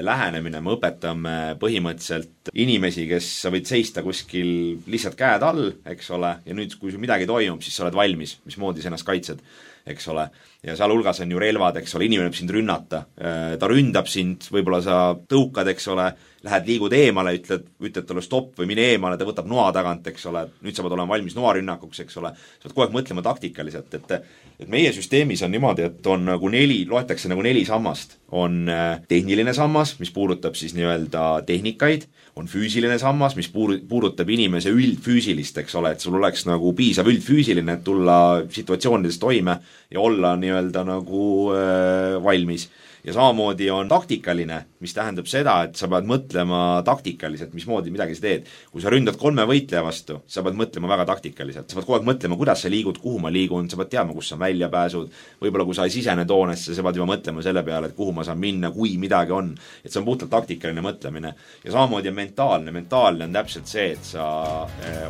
lähenemine, me õpetame põhimõtteliselt inimesi, kes sa võid seista kuskil lihtsalt käed all, eks ole, ja nüüd, kui midagi toimub, siis sa oled valmis, mismoodi sa ennast kaitsed, eks ole, ja seal hulgas on ju relvad, eks ole, inimene võib sind rünnata, ta ründab sind, võib-olla sa tõukad, eks ole, lähed liigud eemale, ütled talle stopp või mine eemale, ta võtab noa tagant, eks ole, nüüd sa pead olema valmis noarünnakuks, eks ole, sa pead kogu aeg mõtlema taktikaliselt, et meie süsteemis on niimoodi, et on nagu loetakse nagu 4 sammast. On tehniline sammas, mis puudutab siis nii-öelda tehnikaid, on füüsiline sammas, mis puudutab inimese üldfüüsilist, eks ole, et sul oleks nagu piisav üldfüüsiline, et tulla situatsioonides toime ja olla nii-öelda nagu valmis. Ja samamoodi on taktikaline, mis tähendab seda, et sa pead mõtlema taktikaliselt, mismoodi midagi sa teed. Kui sa ründad 3 võitleja vastu, sa pead mõtlema väga taktikaliselt. Sa pead kogu aeg mõtlema, kuidas sa liigud, kuhu ma liigun, sa pead teadma, kus on väljapääsud. Võib-olla kui sa ei sisene toonesse, sa pead juba mõtlema selle peale, et kuhu ma saan minna, kui midagi on. Et see on puhtalt taktikaline mõtlemine. Ja samamoodi on mentaalne. Mentaalne on täpselt see, et sa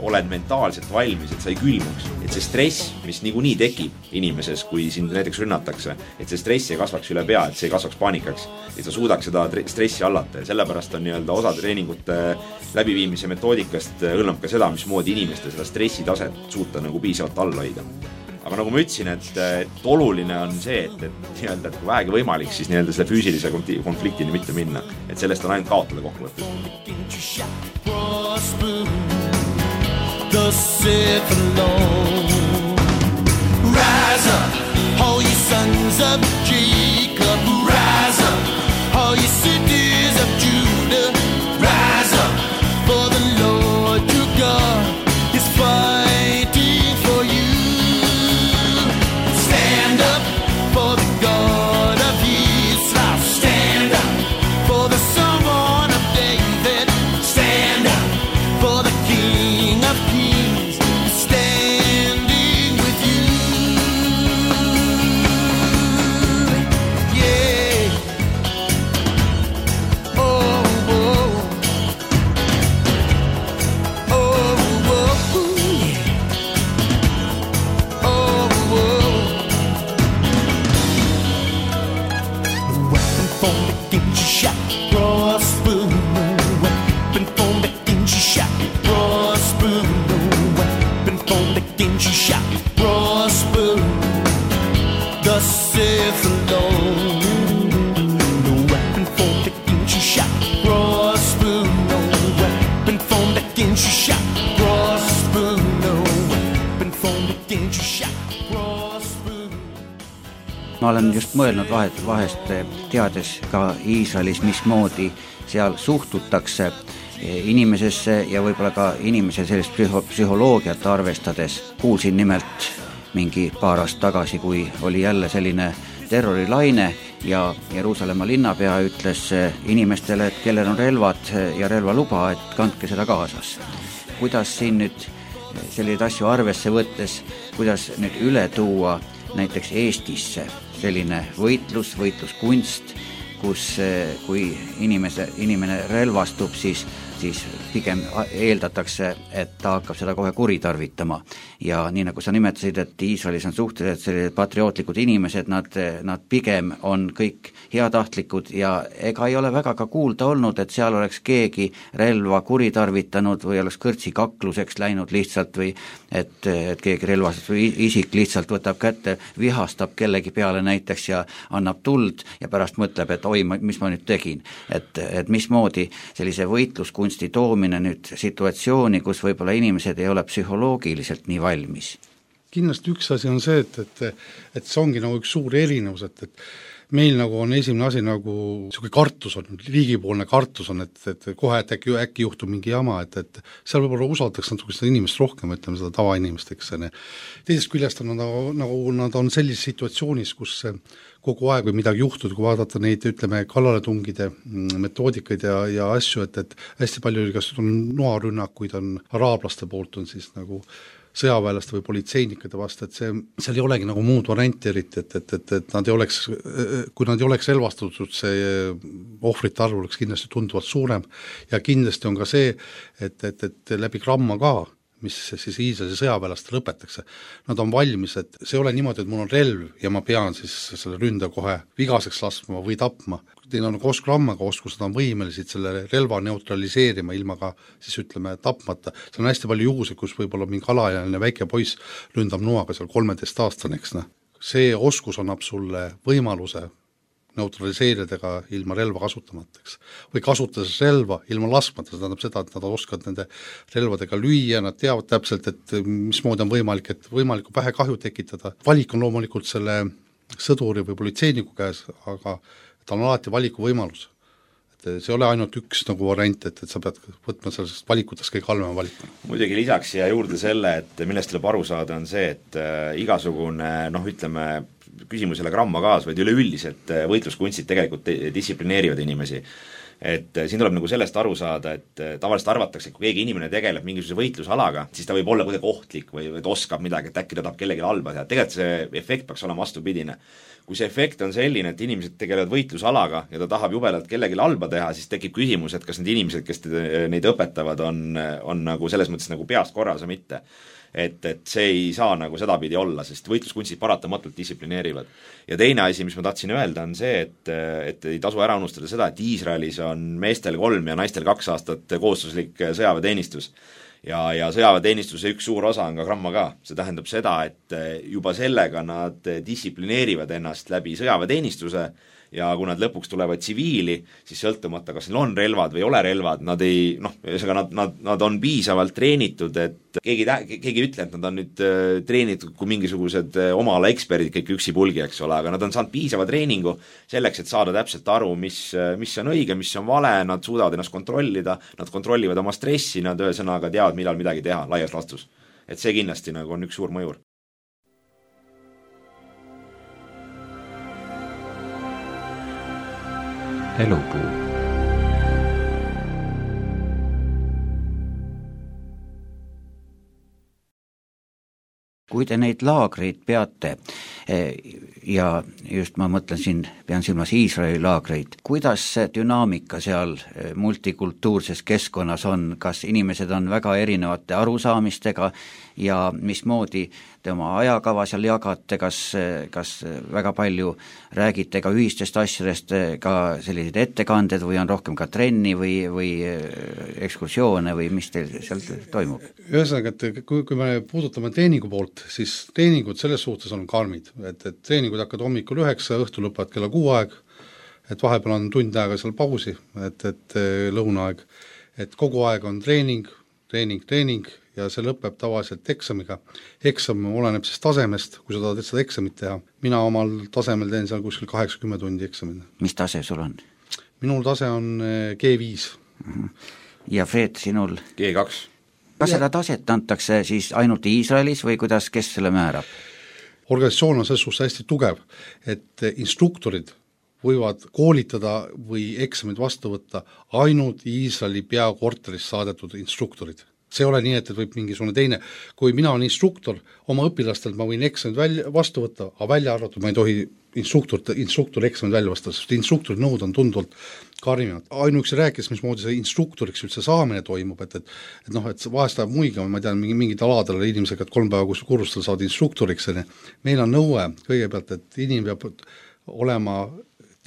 oled mentaalselt valmis, et sa ei külmuks. Et see stress, mis niikuinii tekib inimeses, kui sind näiteks rünnatakse, et see stress ei kasvaks üle pea, et see ei kasvaks paanikaks, et sa suudaks seda stressi allata ja sellepärast on nii-öelda osa treeningute läbiviimise metoodikast hõlmab ka seda, mismoodi inimeste seda stressitaset suuta nagu piisavalt alla hoida. Aga nagu ma ütlesin, et oluline on see, et nii-öelda, et kui vähegi võimalik, siis nii-öelda selle füüsilise konfliktini mitte minna, et sellest on ainult kaotada kokkuvõttes. Rise up, all you sons of Jacob, rise up, all you cities of Judah, rise up, for the Lord your God is fighting for you. Stand up for the God of Israel, stand up for the Son of David, stand up for the King of Kings, standing with you. Ma olen just mõelnud vahest teades ka Iisraelis, mismoodi seal suhtutakse inimesesse ja võib-olla ka inimese sellist psühholoogiat arvestades. Kuulsin nimelt mingi paar aastat tagasi, kui oli jälle selline terrorilaine ja Jeruusalemma linnapea ütles inimestele, et kellel on relvad ja relvaluba, et kandke seda kaasas. Kuidas siin nüüd selliseid asju arvesse võttes, kuidas nüüd üle tuua näiteks Eestisse selline võitluskunst, kus kui inimene relvastub, siis pigem eeldatakse, et ta hakkab seda kohe kuritarvitama. Ja nii nagu sa nimetasid, et Iisraelis on suhteliselt sellised patriootlikud inimesed, nad pigem on kõik heatahtlikud ja ega ei ole väga ka kuulda olnud, et seal oleks keegi relva kuritarvitanud või oleks kõrtsikakluseks läinud lihtsalt või et keegi relvasest või isik lihtsalt võtab kätte, vihastab kellegi peale näiteks ja annab tuld ja pärast mõtleb, et oi, mis ma nüüd tegin. Et mismoodi sellise võitluskunsti toomine nüüd situatsiooni, kus võib-olla inimesed ei ole psühholoogiliselt nii valmis? Kindlasti üks asi on see, et see ongi nagu üks suur erinevus, et meil nagu on esimene asi nagu niisugune kartus on, riigipoolne kartus on, et kohe et äkki juhtub mingi jama, et seal võib-olla usaldatakse natuke seda inimest rohkem, ütleme seda tavainimest, eks see. Teisest küljest on nagu nad on sellises situatsioonis, kus kogu aeg või midagi juhtud, kui vaadata neid, ütleme, kallaletungide metoodikaid ja asju, et hästi palju kas on noarünnakuid on araablaste poolt on siis nagu sõjaväelaste või politseinikade vastu, et seal ei olegi nagu muud varianti eriti, et nad ei oleks, kui nad ei oleks relvastatud, see ohvrite arv oleks kindlasti tunduvalt suurem ja kindlasti on ka see, et läbi gramma ka, mis siis Iisraeli sõjaväelast lõpetakse, nad on valmis, et see ei ole niimoodi, et mul on relv ja ma pean siis selle ründa kohe vigaseks laskma või tapma. Teil on koos grammaga oskus, nad on võimelised selle relva neutraliseerima ilma ka siis ütleme tapmata. See on hästi palju juhuseid, kus võib-olla mingi alajaline väike poiss ründab noaga seal 13-aastane, eks. See oskus annab sulle võimaluse neutraliseeridega ilma relva kasutamateks või kasutades relva ilma laskmata, see tähendab seda, et nad oskavad nende relvadega lüüa, nad teavad täpselt, et mismoodi on võimalik, et võimaliku pähe kahju tekitada. Valik on loomulikult selle sõduri või politseiniku käes, aga ta on alati valiku võimalus. Et see ei ole ainult üks nagu variant, et sa pead võtma sellest valikutest kõige halvema valikuna. Muidugi lisaks siia juurde selle, et millest tuleb aru saada, on see, et igasugune ütleme, küsimus ei ole gramma kaas, vaid üleüldiselt võitluskunstid tegelikult distsiplineerivad inimesi. Et siin tuleb nagu sellest aru saada, et tavaliselt arvatakse, et kui keegi inimene tegeleb mingisuguse võitlusalaga, siis ta võib olla kuidagi ohtlik või ta oskab midagi, et äkki ta tahab kellegi halba teha. Tegelikult see efekt peaks olema vastupidine. Kui see efekt on selline, et inimesed tegelevad võitlusalaga ja ta tahab jubedalt kellegi halba teha, siis tekib küsimus, et kas need inimesed, kes neid õpetavad, on nagu selles mõttes nagu peast korras või mitte. Et see ei saa nagu sedapidi olla, sest võitluskunstid paratamatult distsiplineerivad. Ja teine asi, mis ma tahtsin öelda, on see, et ei tasu ära unustada seda, et Iisraelis on meestel 3 ja naistel 2 aastat kohustuslik sõjaväeteenistus. Ja sõjaväeteenistuse üks suur osa on ka gramma ka. See tähendab seda, et juba sellega nad distsiplineerivad ennast läbi sõjaväeteenistuse ja kui nad lõpuks tulevad tsiviili, siis sõltumata, kas neil on relvad või ei ole relvad, nad ei, nad on piisavalt treenitud, et keegi ei ütle, et nad on nüüd treenitud kui mingisugused oma ala eksperdid kõik üksipulgi, eks ole, aga nad on saanud piisava treeningu selleks, et saada täpselt aru, mis on õige, mis on vale, nad suudavad ennast kontrollida, nad kontrollivad oma stressi, nad ühesõnaga teavad, millal midagi teha, laias laastus. Et see kindlasti nagu on üks suur mõjur. Elupuu. Kui te neid laagreid peate ja just ma mõtlen siin, pean silmas Iisraeli laagreid, kuidas see dünaamika seal multikultuurses keskkonnas on, kas inimesed on väga erinevate arusaamistega ja mismoodi te oma ajakava seal jagate, kas väga palju räägite ka ühistest asjadest, ka sellised ettekanded või on rohkem ka trenni või ekskursioone või mis teil seal toimub? Ühesõnaga, et kui me puudutame treeningu poolt, siis treeningud selles suhtes on karmid, et treeningud hakkavad hommikul 9, õhtul lõpevad kella 6 aeg, et vahepeal on tund aega seal pausi, et lõunaaeg, et kogu aeg on treening ja see lõpeb tavaliselt eksamiga. Eksam oleneb siis tasemest, kui sa tahad seda eksamit teha. Mina omal tasemel teen seal kuskil 80 tundi eksamina. Mis tase sul on? Minul tase on G5. Ja Fred, sinul? G2. Kas seda taset antakse siis ainult Iisraelis või kuidas, kes selle määrab? Organisatsioon on selles suhtes hästi tugev, et instruktorid võivad koolitada või eksamid vastu võtta ainult Iisraeli peakorterist saadetud instruktorid. see ei ole nii, et võib mingisugune teine, kui mina olen instruktor, oma õpilastelt ma võin eksamid vastu võtta, aga välja arvatud ma ei tohi instruktori eksamid välja vastu, sest instruktori nõud on tunduvalt karmimad. Ainuüksi rääkis, mismoodi see instruktoriks üldse saamine toimub, et vahest ajab muigama, ma tean, mingid aladel inimesega, et 3 päeva kursustel saavad instruktoriks, meil on nõue kõigepealt, et inimene peab olema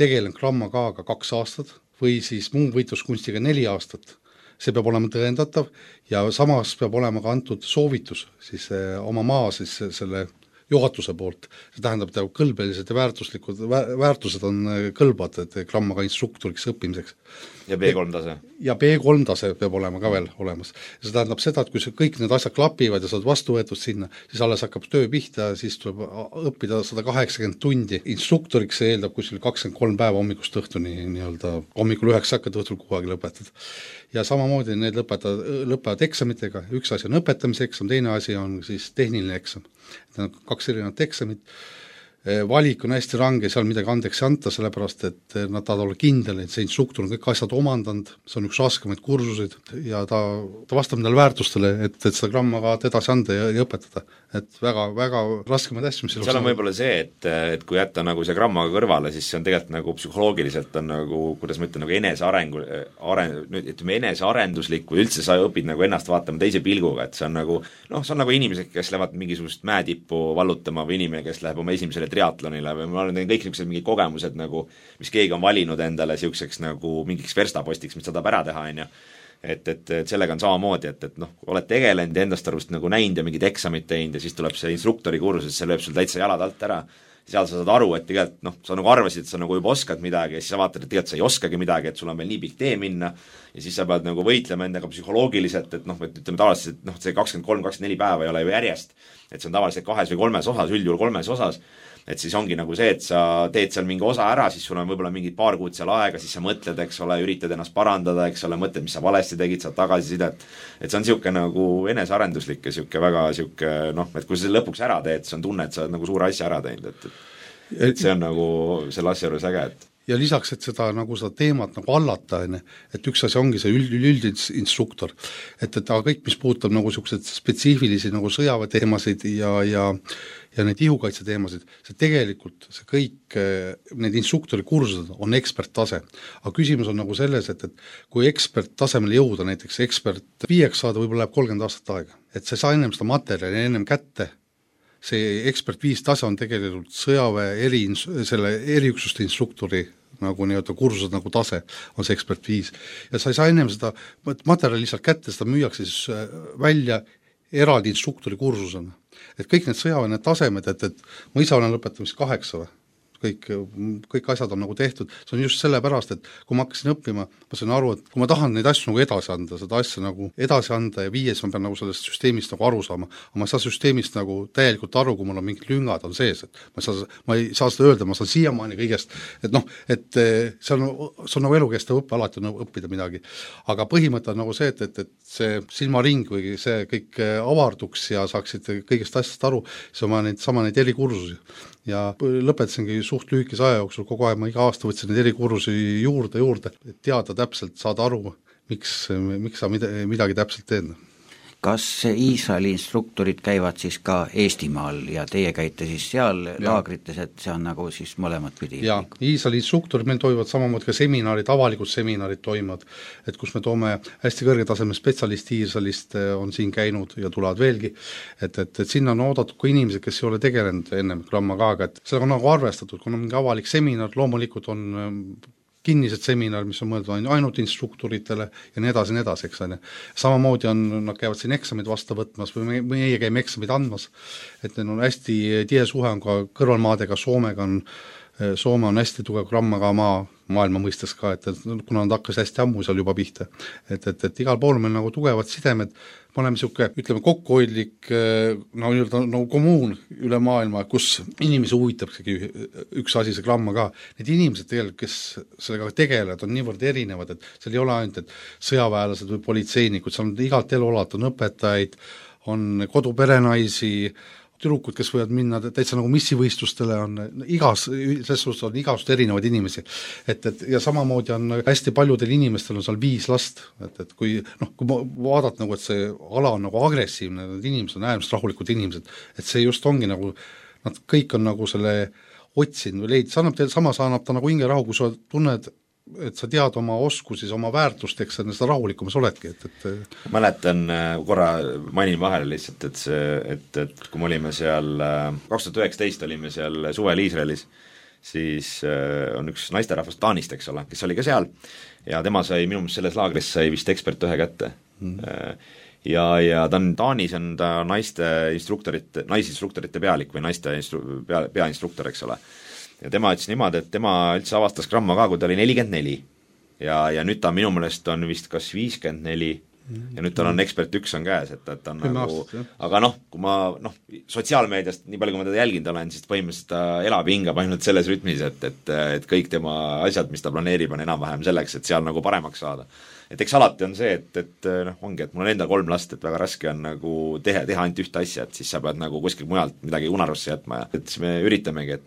tegelenud Gramma K-ga 2 aastat või siis muu võitluskunstiga 4 aastat. See peab olema tõendatav ja samas peab olema ka antud soovitus siis oma maa siis selle juhatuse poolt. See tähendab, et kõlbelised ja väärtused on kõlbad, et Gramma K instruktoriks õppimiseks. Ja B3 tase? Ja B3 tase peab olema ka veel olemas. Ja see tähendab seda, et kui kõik need asjad klapivad ja saad vastu võetud sinna, siis alles hakkab töö pihta, siis tuleb õppida 180 tundi. Instruktoriks see eeldab kuskil 23 päeva hommikust õhtuni, hommikul 9 hakkad õhtul 6 aega lõpetad. Ja samamoodi need lõpevad eksamitega, üks asi on õpetamise eksam, teine asi on siis tehniline eksam. Need on 2 erinevat eksamit. Valik on hästi range, seal midagi andeks ei anta, sellepärast et nad tahavad olla kindel, et see instruktor on kõik asjad omandanud, see on üks raskemaid kursuseid ja ta vastab nendele väärtustele, et seda Gramma K edasi anda ja õpetada. Et väga raskemaid asju, mis seal on võib-olla see, et kui jätta nagu see Gramma K kõrvale, siis see on tegelikult nagu psühholoogiliselt on nagu, kuidas ma ütlen, nagu enesearenduslik või üldse sa õpid nagu ennast vaatama teise pilguga, et see on nagu, see on nagu inimesed, kes lähevad mingisugust mäetippu vallutama või inimene, kes läheb oma esimesele triatlonile või ma olen kõik niisugused mingid kogemused nagu, mis keegi on valinud endale niisuguseks nagu mingiks verstapostiks, mis ta tahab ära teha, et sellega on samamoodi, et oled tegelenud ja endast arvust nagu näinud ja mingid eksamid teinud ja siis tuleb see instruktori kursus, see lööb sul täitsa jalad alt ära, seal sa saad aru, et tegelikult sa nagu arvasid, et sa nagu juba oskad midagi ja siis sa vaatad, et tegelikult sa ei oskagi midagi, et sul on veel nii pikk tee minna ja siis sa pead nagu võitlema endaga psühholoogiliselt, et ütleme tavaliselt, see 23-24 päeva ei ole ju järjest, et see on tavaliselt 2 või 3 osas, üldjuhul 3 osas, et siis ongi nagu see, et sa teed seal mingi osa ära, siis sul on võib-olla mingid paar kuud seal aega, siis sa mõtled, eks ole, üritad ennast parandada, eks ole, mõtled, mis sa valesti tegid, saad tagasisidet, et see on niisugune nagu enesearenduslik ja niisugune väga niisugune, et kui sa lõpuks ära teed, siis on tunne, et sa oled nagu suure asja ära teinud, et see on nagu selle asja juures äge, et ja lisaks, et seda teemat nagu allata, et üks asi ongi see üldinstruktor, et aga kõik, mis puudutab nagu niisugused spetsiifilisi nagu sõjaväeteemasid ja neid ihukaitse teemasid, see tegelikult, see kõik, need instruktori kursused on eksperttase. Aga küsimus on nagu selles, et kui eksperttasemele jõuda, näiteks ekspert 5 saada, võib-olla läheb 30 aastat aega. Et sa ei saa ennem seda materjali ennem kätte, see ekspert 5 tase on tegelikult sõjaväe eriüksuste instruktori nagu kursused nagu tase on see ekspert 5 ja sa ei saa ennem seda materjali lihtsalt kätte, seda müüakse siis välja eraldi instruktori kursusena. Et kõik need sõjaväe tasemed, et ma ise olen lõpetamist 8 kõik asjad on nagu tehtud, see on just sellepärast, et kui ma hakkasin õppima, ma sain aru, et kui ma tahan neid asju nagu edasi anda, seda asja nagu edasi anda ja viies ma pean nagu sellest süsteemist nagu aru saama, aga ma ei saa süsteemist nagu täielikult aru, kui mul on mingid lüngad on sees, et ma ei saa seda öelda, ma saan siiamaani kõigest, et see on nagu elukestev õppe, alati on nagu õppida midagi, aga põhimõte on nagu see, et see silmaring või see kõik avarduks ja saaksid kõigest asjast aru, siis on sama neid erikursusi ja lõpetasingi suht lühikese aja jooksul, kogu aeg ma iga aasta võtsin neid erikursusi juurde, et teada täpselt, saada aru, miks sa midagi täpselt teed. Kas Iisraeli instruktorid käivad siis ka Eestimaal ja teie käite siis seal laagrites, et see on nagu siis mõlemat pidi? Jaa, Iisraeli instruktorid meil toimuvad samamoodi ka seminarid, avalikud seminarid toimuvad, et kus me toome hästi kõrgetaseme spetsialisti Iisraelist on siin käinud ja tulevad veelgi, et sinna on oodatud ka inimesed, kes ei ole tegelenud ennem Gramma K-ga, et sellega on nagu arvestatud, kui on mingi avalik seminar, loomulikult on kinnised seminar, mis on mõeldud ainult instruktoritele ja nii edasi, eks ole. Samamoodi nad käivad siin eksamid vastu võtmas või meie käime eksamid andmas, et neil on hästi tihe suhe on ka kõrvalmaadega, Soome on hästi tugev Gramma K maailma mõistes ka, et kuna nad hakkas hästi ammu seal juba pihta, et igal pool meil nagu tugevad sidemed, me oleme niisugune, ütleme, kokkuhoidlik nagu kommuun üle maailma, kus inimesi huvitabki üks asi, see Gramma K. Need inimesed tegelikult, kes sellega tegelevad, on niivõrd erinevad, et seal ei ole ainult, et sõjaväelased või politseinikud, seal on igalt elualalt, on õpetajaid, on koduperenaisi, tüdrukud, kes võivad minna täitsa nagu missivõistlustele, on selles suhtes on igast erinevaid inimesi. Et ja samamoodi on hästi paljudel inimestel on seal 5 last, et kui vaadata nagu, et see ala on nagu agressiivne, need inimesed on äärmiselt rahulikud inimesed, et see just ongi nagu, nad kõik on nagu selle otsinud või leidnud, samas annab ta nagu hingerahu, kui sa tunned, et sa tead oma oskusi, oma väärtust, eks sa seda rahulikumas oledki, mäletan, korra mainin vahele lihtsalt, et kui me olime seal 2019 olime seal suvel Iisraelis, siis on üks naisterahvas Taanist, eks ole, kes oli ka seal ja tema sai minu meelest selles laagris sai vist ekspert 1 kätte ja ta on Taanis, on ta naisinstruktorite pealik või naiste peainstruktor, eks ole. Ja tema ütles niimoodi, et tema üldse avastas Gramma ka, kui ta oli 44 ja nüüd ta minu meelest on vist kas 54 ja nüüd tal on ekspert 1 on käes, et ta on nagu, aga kui ma sotsiaalmeediast nii palju, kui ma teda jälginud olen, siis põhimõtteliselt ta elab hingab ainult selles rütmis, et kõik tema asjad, mis ta planeerib, on enam-vähem selleks, et seal nagu paremaks saada. Et eks alati on see, et ongi, et mul on endal 3 last, et väga raske on nagu teha ainult ühte asja, et siis sa pead nagu kuskil mujalt midagi unarusse jätma ja et siis me üritamegi, et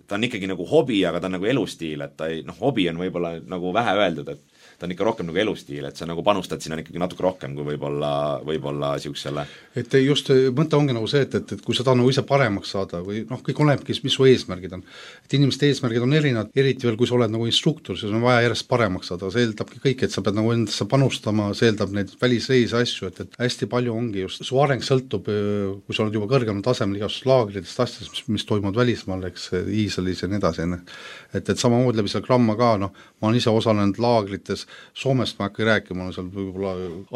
ta on ikkagi nagu hobi, aga ta on nagu elustiil, et ta ei, hobi on võib-olla nagu vähe öeldud, et ta on ikka rohkem nagu elustiil, et sa nagu panustad sinna ikkagi natuke rohkem kui võib-olla siuksele. Et just mõte ongi nagu see, et kui sa tahad nagu ise paremaks saada või kõik olenebki, mis su eesmärgid on. Et inimeste eesmärgid on erinevad, eriti veel, kui sa oled nagu instruktor, siis on vaja järjest paremaks saada, see eeldabki kõik, et sa pead nagu endasse panustama, see eeldab neid välisreise asju, et hästi palju ongi just, su areng sõltub, kui sa oled juba kõrgemal tasemel igasugust laagritest asjadest, mis toimuvad välismaal, eks Iisraelis ja nii edasi, et samamoodi läbi seal Gramma ka, ma olen ise osalenud laagrites, Soomest ma hakkan rääkima, seal võib-olla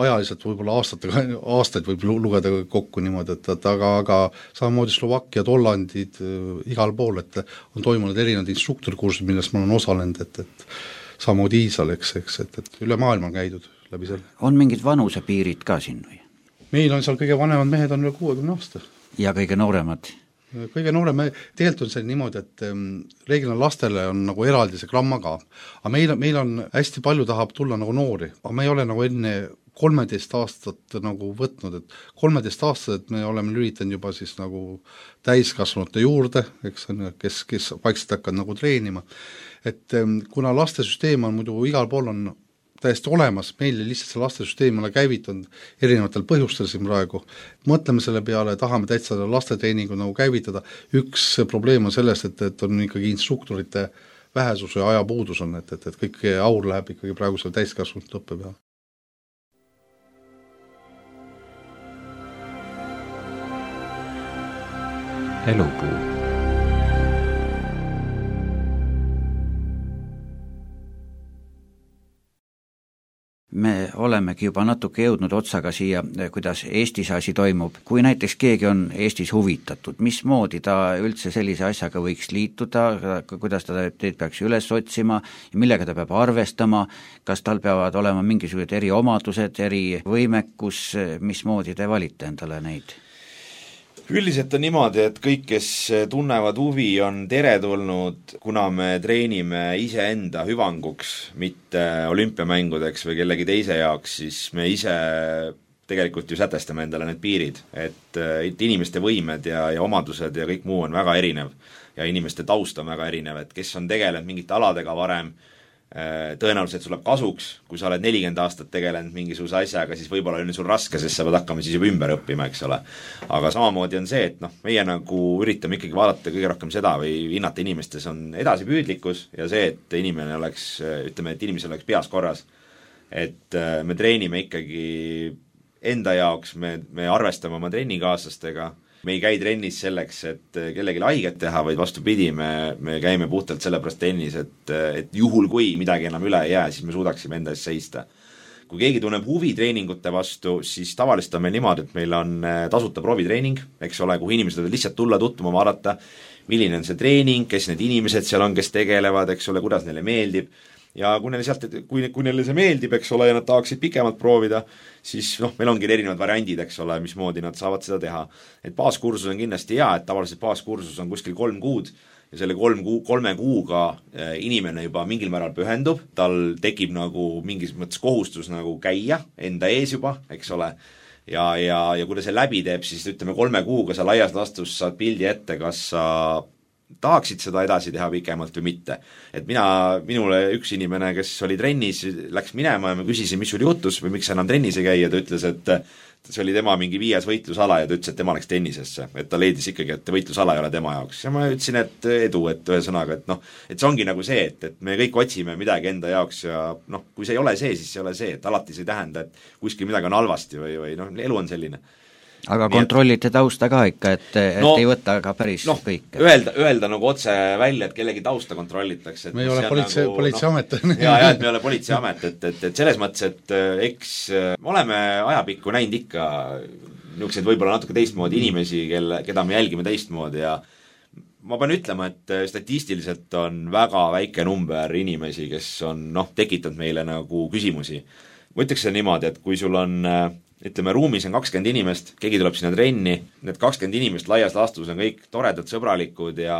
ajaliselt võib-olla aastaid võib lugeda kokku niimoodi, et aga samamoodi Slovakkiad, Hollandid, igal pool, et on toimunud erinevad instruktorkursid, millest ma olen osalenud, et samamoodi Iisal, eks, et üle maailma on käidud läbi selle. On mingid vanusepiirid ka siin või? Meil on seal kõige vanemad mehed on üle 60 aasta. Ja kõige nooremad? Kõige noorem, tegelikult on see niimoodi, et reeglina lastele on nagu eraldi see Gramma ka, aga meil on hästi palju tahab tulla nagu noori, aga me ei ole nagu enne 13 aastat nagu võtnud, et 13 aastat me oleme lülitanud juba siis nagu täiskasvanute juurde, eks, kes vaikselt hakkavad nagu treenima, et kuna lastesüsteem on muidu igal pool on täiesti olemas, meil lihtsalt see lastesüsteem ole käivitunud erinevatel põhjustel siin praegu. Mõtleme selle peale, tahame täitsa lastetreeningu nagu käivitada. Üks probleem on sellest, et on ikkagi instruktorite vähesus ja ajapuudus on, et kõik aur läheb ikkagi praegu selle täiskasvanud õppe peale. Elupuu. Me olemegi juba natuke jõudnud otsaga siia, kuidas Eestis asi toimub. Kui näiteks keegi on Eestis huvitatud, mismoodi ta üldse sellise asjaga võiks liituda, kuidas ta teid peaks üles otsima ja millega ta peab arvestama, kas tal peavad olema mingisugused eriomadused, erivõimekus, mismoodi te valite endale neid? Üldiselt on niimoodi, et kõik, kes tunnevad huvi, on teretulnud, kuna me treenime iseenda hüvanguks, mitte olümpiamängudeks või kellegi teise jaoks, siis me ise tegelikult ju sätestame endale need piirid, et inimeste võimed ja omadused ja kõik muu on väga erinev ja inimeste taust on väga erinev, et kes on tegelenud mingite aladega varem, tõenäoliselt sul läheb kasuks, kui sa oled 40 aastat tegelenud mingisuguse asjaga, siis võib-olla on sul raske, sest sa pead hakkama siis juba ümber õppima, eks ole. Aga samamoodi on see, et meie nagu üritame ikkagi vaadata kõige rohkem seda või hinnata inimestes on edasipüüdlikkus ja see, et inimene oleks, ütleme, et inimesel oleks peas korras. Et me treenime ikkagi enda jaoks, me arvestame oma trennikaaslastega, me ei käi trennis selleks, et kellelegi haiget teha, vaid vastupidi, me käime puhtalt sellepärast trennis, et juhul kui midagi enam üle ei jää, siis me suudaksime enda eest seista. Kui keegi tunneb huvi treeningute vastu, siis tavaliselt on meil niimoodi, et meil on tasuta proovitreening, eks ole, kuhu inimesed võivad lihtsalt tulla tutvuma, vaadata, milline on see treening, kes need inimesed seal on, kes tegelevad, eks ole, kuidas neile meeldib. Ja kui neile see meeldib, eks ole, ja nad tahaksid pikemalt proovida, siis meil ongi erinevad variandid, eks ole, mismoodi nad saavad seda teha. Et baaskursus on kindlasti hea, et tavaliselt baaskursus on kuskil 3 kuud ja selle 3 kuuga inimene juba mingil määral pühendub, tal tekib nagu mingis mõttes kohustus nagu käia enda ees juba, eks ole, ja kui ta see läbi teeb, siis ütleme 3 kuuga sa laias laastus saad pildi ette, kas sa tahaksid seda edasi teha pikemalt või mitte. Et minule üks inimene, kes oli trennis, läks minema ja ma küsisin, mis sul juhtus või miks sa enam trennis ei käi ja ta ütles, et see oli tema mingi 5. võitlusala ja ta ütles, et tema läks tennisesse, et ta leidis ikkagi, et võitlusala ei ole tema jaoks. Ja ma ütlesin, et edu, et ühesõnaga, et et see ongi nagu see, et me kõik otsime midagi enda jaoks ja kui see ei ole see, siis see ei ole see, et alati see ei tähenda, et kuskil midagi on halvasti või elu on selline. Aga kontrollite tausta ka ikka, et ei võta ka päris kõike. Öelda nagu otse välja, et kellegi tausta kontrollitakse. Me ei ole politseiamet. et me ei ole politseiamet, et selles mõttes, et eks me oleme ajapikku näinud ikka niisuguseid võib-olla natuke teistmoodi inimesi, keda me jälgime teistmoodi ja ma pean ütlema, et statistiliselt on väga väike number inimesi, kes on tekitanud meile nagu küsimusi. Ma ütleks see niimoodi, et kui sul on ütleme, ruumis on 20 inimest, keegi tuleb sinna trenni, need 20 inimest laias laastus on kõik toredad, sõbralikud ja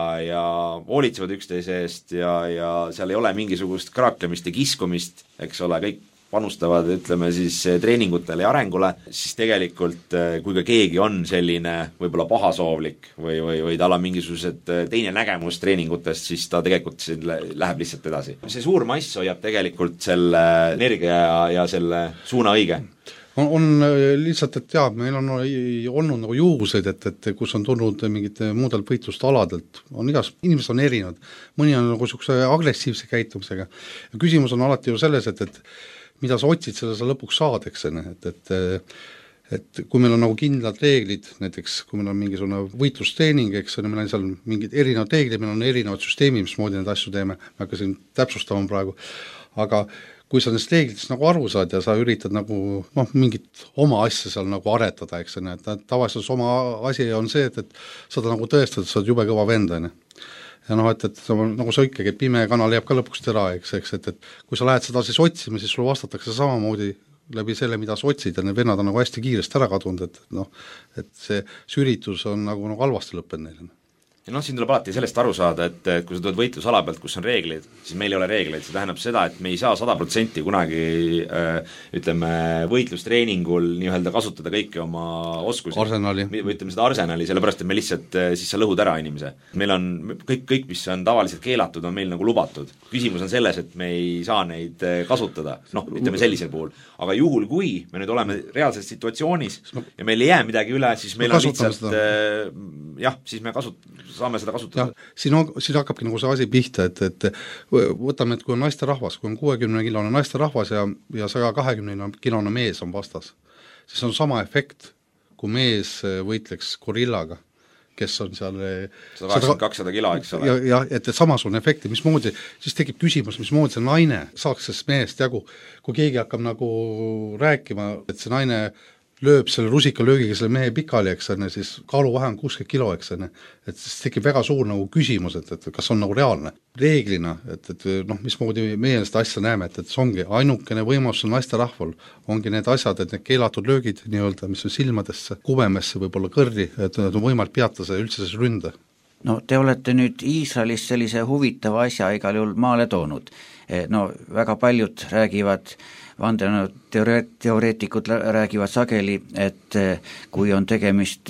hoolitsevad üksteise eest ja seal ei ole mingisugust kraaklemist ja kiskumist, eks ole, kõik panustavad, ütleme siis treeningutele ja arengule, siis tegelikult kui ka keegi on selline võib-olla pahasoovlik või tal on mingisugused teine nägemus treeningutest, siis ta tegelikult läheb lihtsalt edasi. See suur mass hoiab tegelikult selle energia ja selle suuna õige. On lihtsalt, et jaa, meil on olnud nagu juhuseid, et kus on tulnud mingid muudelt võitlustaladelt, inimesed on erinevad, mõni on nagu niisuguse agressiivse käitumisega ja küsimus on alati ju selles, et mida sa otsid, selle sa lõpuks saad, eks et kui meil on nagu kindlad reeglid, näiteks kui meil on mingisugune võitlustreening, eks meil on seal mingid erinevad reeglid, meil on erinevad süsteemid, mismoodi neid asju teeme, ma hakkasin täpsustama praegu, aga kui sa nendest reeglitest nagu aru saad ja sa üritad nagu mingit oma asja seal nagu aretada, eks tavaliselt oma asi on see, et saad nagu tõestada, et sa oled jube kõva vend, on ju. Ja et nagu sa ikkagi, et pime kanal jääb ka lõpuks tera, eks, et kui sa lähed seda siis otsima, siis sul vastatakse samamoodi läbi selle, mida sa otsid ja need vennad on nagu hästi kiiresti ära kadunud, et see üritus on nagu halvasti lõppenud neile. Ja siin tuleb alati sellest aru saada, et kui sa tuled võitlusala pealt, kus on reeglid, siis meil ei ole reegleid, see tähendab seda, et me ei saa 100% kunagi ütleme, võitlustreeningul nii-öelda kasutada kõiki oma oskusi. Arsenali. Või ütleme seda arsenali, sellepärast, et me lihtsalt, siis sa lõhud ära inimese. Meil on kõik, mis on tavaliselt keelatud, on meil nagu lubatud. Küsimus on selles, et me ei saa neid kasutada, ütleme sellisel puhul. Aga juhul, kui me nüüd oleme reaalses situatsioonis ja meil ei jää midagi üle, siis meil on lihtsalt siis me saame seda kasutada. Siin hakkabki nagu see asi pihta, et võtame, et kui on naisterahvas, kui on 60-kilone naisterahvas ja 120-kilone mees on vastas, siis on sama efekt, kui mees võitleks gorillaga, kes on seal 180-200 kilo, eks ole. Ja et samasugune efekt ja mismoodi, siis tekib küsimus, mismoodi see naine saaks sellest mehest jagu, kui keegi hakkab nagu rääkima, et see naine lööb selle rusikalöögiga selle mehe pikali, eks on, siis kaaluvahe on 60 kilo, eks on, et siis tekib väga suur nagu küsimus, et kas on nagu reaalne. Reeglina, et mismoodi meie seda asja näeme, et see ongi ainukene võimalus naisterahval, ongi need asjad, et need keelatud löögid nii-öelda, mis on silmadesse, kubemesse, võib-olla kõrri, et on võimalik peatada üldse see ründe. No te olete nüüd Iisraelis sellise huvitava asja igal juhul maale toonud. Väga paljud räägivad, vandenõuteoreetikud räägivad sageli, et kui on tegemist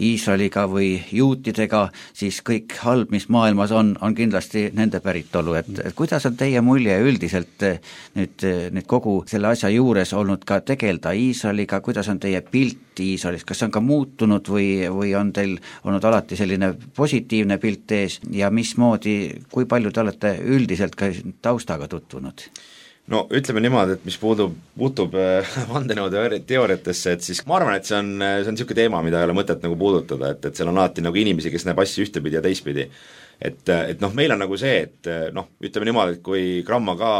Iisraeliga või juutidega, siis kõik halb, mis maailmas on kindlasti nende päritolu, et kuidas on teie mulje üldiselt nüüd kogu selle asja juures olnud ka tegelda Iisraeliga, kuidas on teie pilt Iisraelis, kas on ka muutunud või on teil olnud alati selline positiivne pilt ees ja mismoodi, kui palju te olete üldiselt ka taustaga tutvunud? No ütleme niimoodi, et mis puutub vandenõuteooriatesse, et siis ma arvan, et see on niisugune teema, mida ei ole mõtet nagu puudutada, et seal on alati nagu inimesi, kes näeb asju ühtepidi ja teistpidi. Et meil on nagu see, et ütleme niimoodi, et kui Gramma ka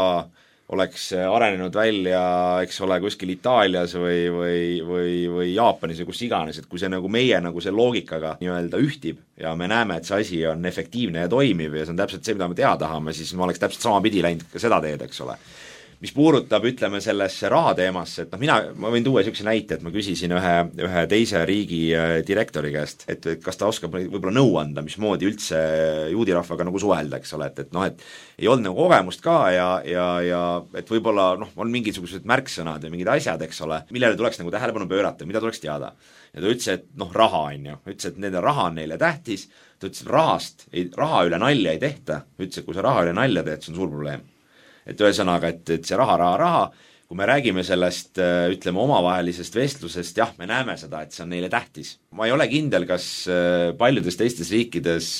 oleks arenenud välja, eks ole, kuskil Itaalias või Jaapanis või kus iganes, et kui see nagu meie nagu see loogikaga nii-öelda ühtib ja me näeme, et see asi on efektiivne ja toimiv ja see on täpselt see, mida me teha tahame, siis me oleks täpselt sama pidi läinud ka seda teed, eks ole. mis puudutab, ütleme, sellesse rahateemasse, et ma võin tuua niisuguse näite, et ma küsisin ühe teise riigi direktori käest, et kas ta oskab võib-olla nõu anda, mismoodi üldse juudi rahvaga nagu suhelda, eks ole, et et ei olnud nagu kogemust ka ja et võib-olla on mingisugused märksõnad ja mingid asjad, eks ole, millele tuleks nagu tähelepanu pöörata, mida tuleks teada. Ja ta ütles, et raha on ju, ütles, et nende raha on neile tähtis, ta ütles, et raha üle nalja ei tehta, ütles, et kui sa raha üle nalja teed, see on suur probleem. Et ühesõnaga, et see raha, kui me räägime sellest, ütleme, omavahelisest vestlusest, jah, me näeme seda, et see on neile tähtis. Ma ei ole kindel, kas paljudes teistes riikides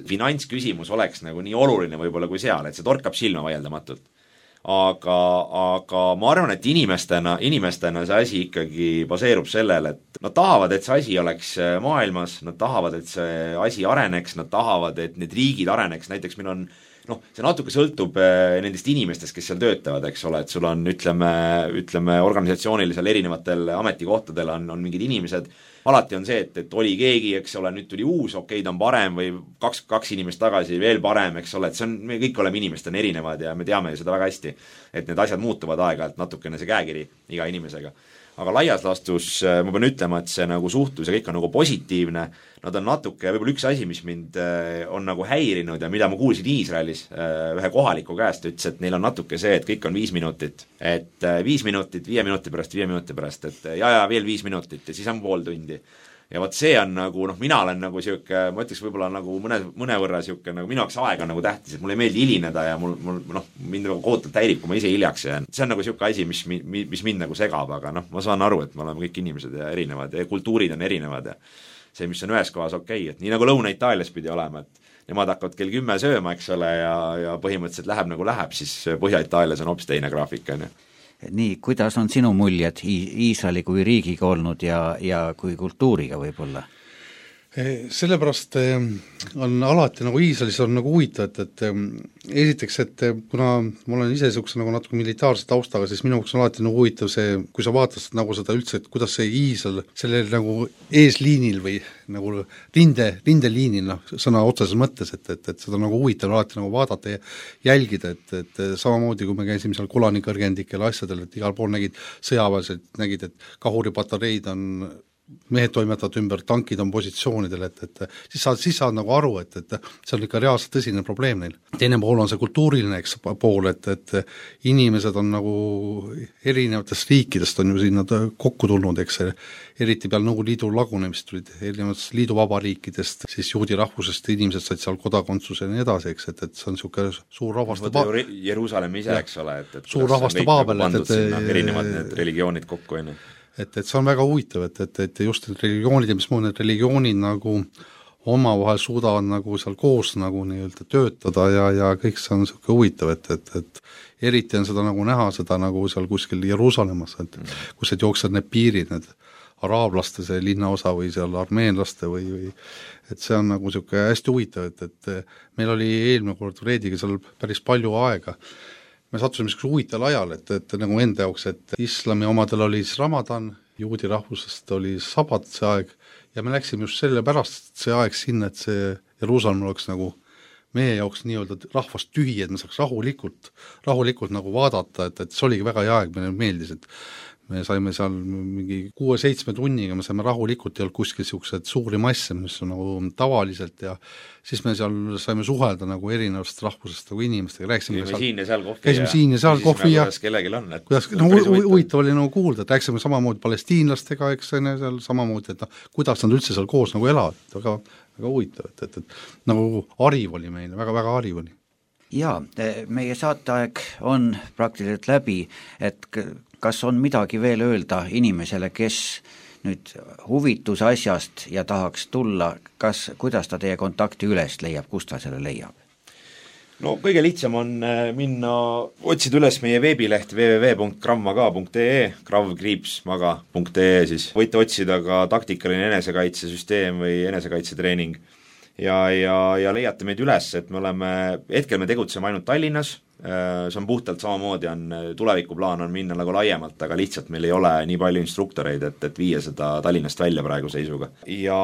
finantsküsimus oleks nagu nii oluline võib-olla kui seal, et see torkab silma vaieldamatult. Aga ma arvan, et inimestena see asi ikkagi baseerub sellele, et nad tahavad, et see asi oleks maailmas, nad tahavad, et see asi areneks, nad tahavad, et need riigid areneks, näiteks meil on see natuke sõltub nendest inimestest, kes seal töötavad, eks ole, et sul on, ütleme organisatsioonil seal erinevatel ametikohtadel on mingid inimesed, alati on see, et oli keegi, eks ole, nüüd tuli uus, okei, ta on parem või kaks inimest tagasi veel parem, eks ole, et me kõik oleme inimestena erinevad ja me teame seda väga hästi, et need asjad muutuvad aeg-ajalt natukene see käekiri iga inimesega. Aga laias laastus ma pean ütlema, et see nagu suhtlus ja kõik on nagu positiivne, nad on natuke, võib-olla üks asi, mis mind on nagu häirinud ja mida ma kuulsin Iisraelis ühe kohaliku käest, ütles, et neil on natuke see, et kõik on 5 minutit, et 5 minutit, 5 minuti pärast, et ja veel 5 minutit ja siis on pool tundi. Ja võt see on nagu, mina olen nagu siuke, ma ütleks võib-olla nagu mõnevõrra siuke, nagu minu jaoks aeg on nagu tähtis, et mulle ei meeldi hilineda ja mind nagu kohutult häirib, kui ma ise hiljaks jään. See on nagu siuke asi, mis mind nagu segab, aga ma saan aru, et me oleme kõik inimesed ja erinevad ja kultuurid on erinevad ja see, mis on ühes kohas okei, et nii nagu Lõuna-Itaalias pidi olema, et nemad hakkavad kell 10 sööma, eks ole, ja põhimõtteliselt läheb nagu läheb, siis Põhja-Itaalias on hoopis teine graafik, on ju. Nii, kuidas on sinu muljed Iisraeli kui riigiga olnud ja kui kultuuriga võib-olla? Sellepärast on alati nagu Iisraelis on nagu huvitav, et esiteks, et kuna ma olen ise niisuguse nagu natuke militaarse taustaga, siis minu jaoks on alati nagu huvitav see, kui sa vaatad nagu seda üldse, et kuidas see Iisrael sellel nagu eesliinil või nagu rindeliinil, sõna otseses mõttes, et seda nagu huvitav alati nagu vaadata ja jälgida, et samamoodi kui me käisime seal Golani kõrgendikel asjadel, et igal pool nägid sõjaväelised, nägid, et kahuripatareid on mehed toimetavad ümber, tankid on positsioonidel, et siis saad nagu aru, et see on ikka reaalselt tõsine probleem neil. Teine pool on see kultuuriline pool, et inimesed on nagu erinevatest riikidest on ju sinna kokku tulnud, eks eriti peal Nõukogude Liidu lagunemist tulid erinevatest liiduvabariikidest, siis juudi rahvusest inimesed said seal kodakondsuse ja nii edasi, eks, et see on niisugune suur rahvaste Jeruusalemmi ise, eks ole, et suur rahvaste paabel, erinevad need religioonid kokku, on ju. Et see on väga huvitav, et just need religioonid ja mismoodi need religioonid nagu omavahel suudavad nagu seal koos nagu nii-öelda töötada ja kõik see on niisugune huvitav, et eriti on seda nagu näha, seda nagu seal kuskil Jeruusalemmas, et kus need jooksevad need piirid, need araablaste see linnaosa või seal armeenlaste või et see on nagu niisugune hästi huvitav, et meil oli eelmine kord Reediga seal päris palju aega. Me sattusime niisuguse huvitaval ajal, et nagu enda jaoks, et islami omadel oli siis Ramadan, juudi rahvusest oli sabat see aeg ja me läksime just selle pärast see aeg sinna, et see Jeruusalemm oleks nagu meie jaoks nii-öelda rahvast tühi, et me saaks rahulikult nagu vaadata, et see oligi väga hea aeg, meile meeldis, et me saime seal mingi 6-7 tunniga, me saime rahulikult, ei olnud kuskil niisugused suuri masse, mis on nagu tavaliselt ja siis me seal saime suhelda nagu erinevast rahvusest nagu inimestega, käisime siin ja seal kohvi ja kellelgi on, et kuidas, huvitav oli nagu kuulda, et rääkisime samamoodi palestiinlastega, eks seal samamoodi, et kuidas nad üldse seal koos nagu elavad, väga huvitav, et nagu hariv oli meile, väga hariv oli. Jaa, meie saateaeg on praktiliselt läbi, et kas on midagi veel öelda inimesele, kes nüüd huvitus asjast ja tahaks tulla, kuidas ta teie kontakti üles leiab, kust ta selle leiab? No kõige lihtsam on minna, otsida üles meie veebileht www.kravmaga.ee, krav-maga.ee siis. Võite otsida ka taktikaline enesekaitsesüsteem või enesekaitsetreening ja leiate meid üles, et hetkel me tegutseme ainult Tallinnas, see on puhtalt samamoodi, tulevikuplaan on minna nagu laiemalt, aga lihtsalt meil ei ole nii palju instruktoreid, et viia seda Tallinnast välja praegu seisuga. Ja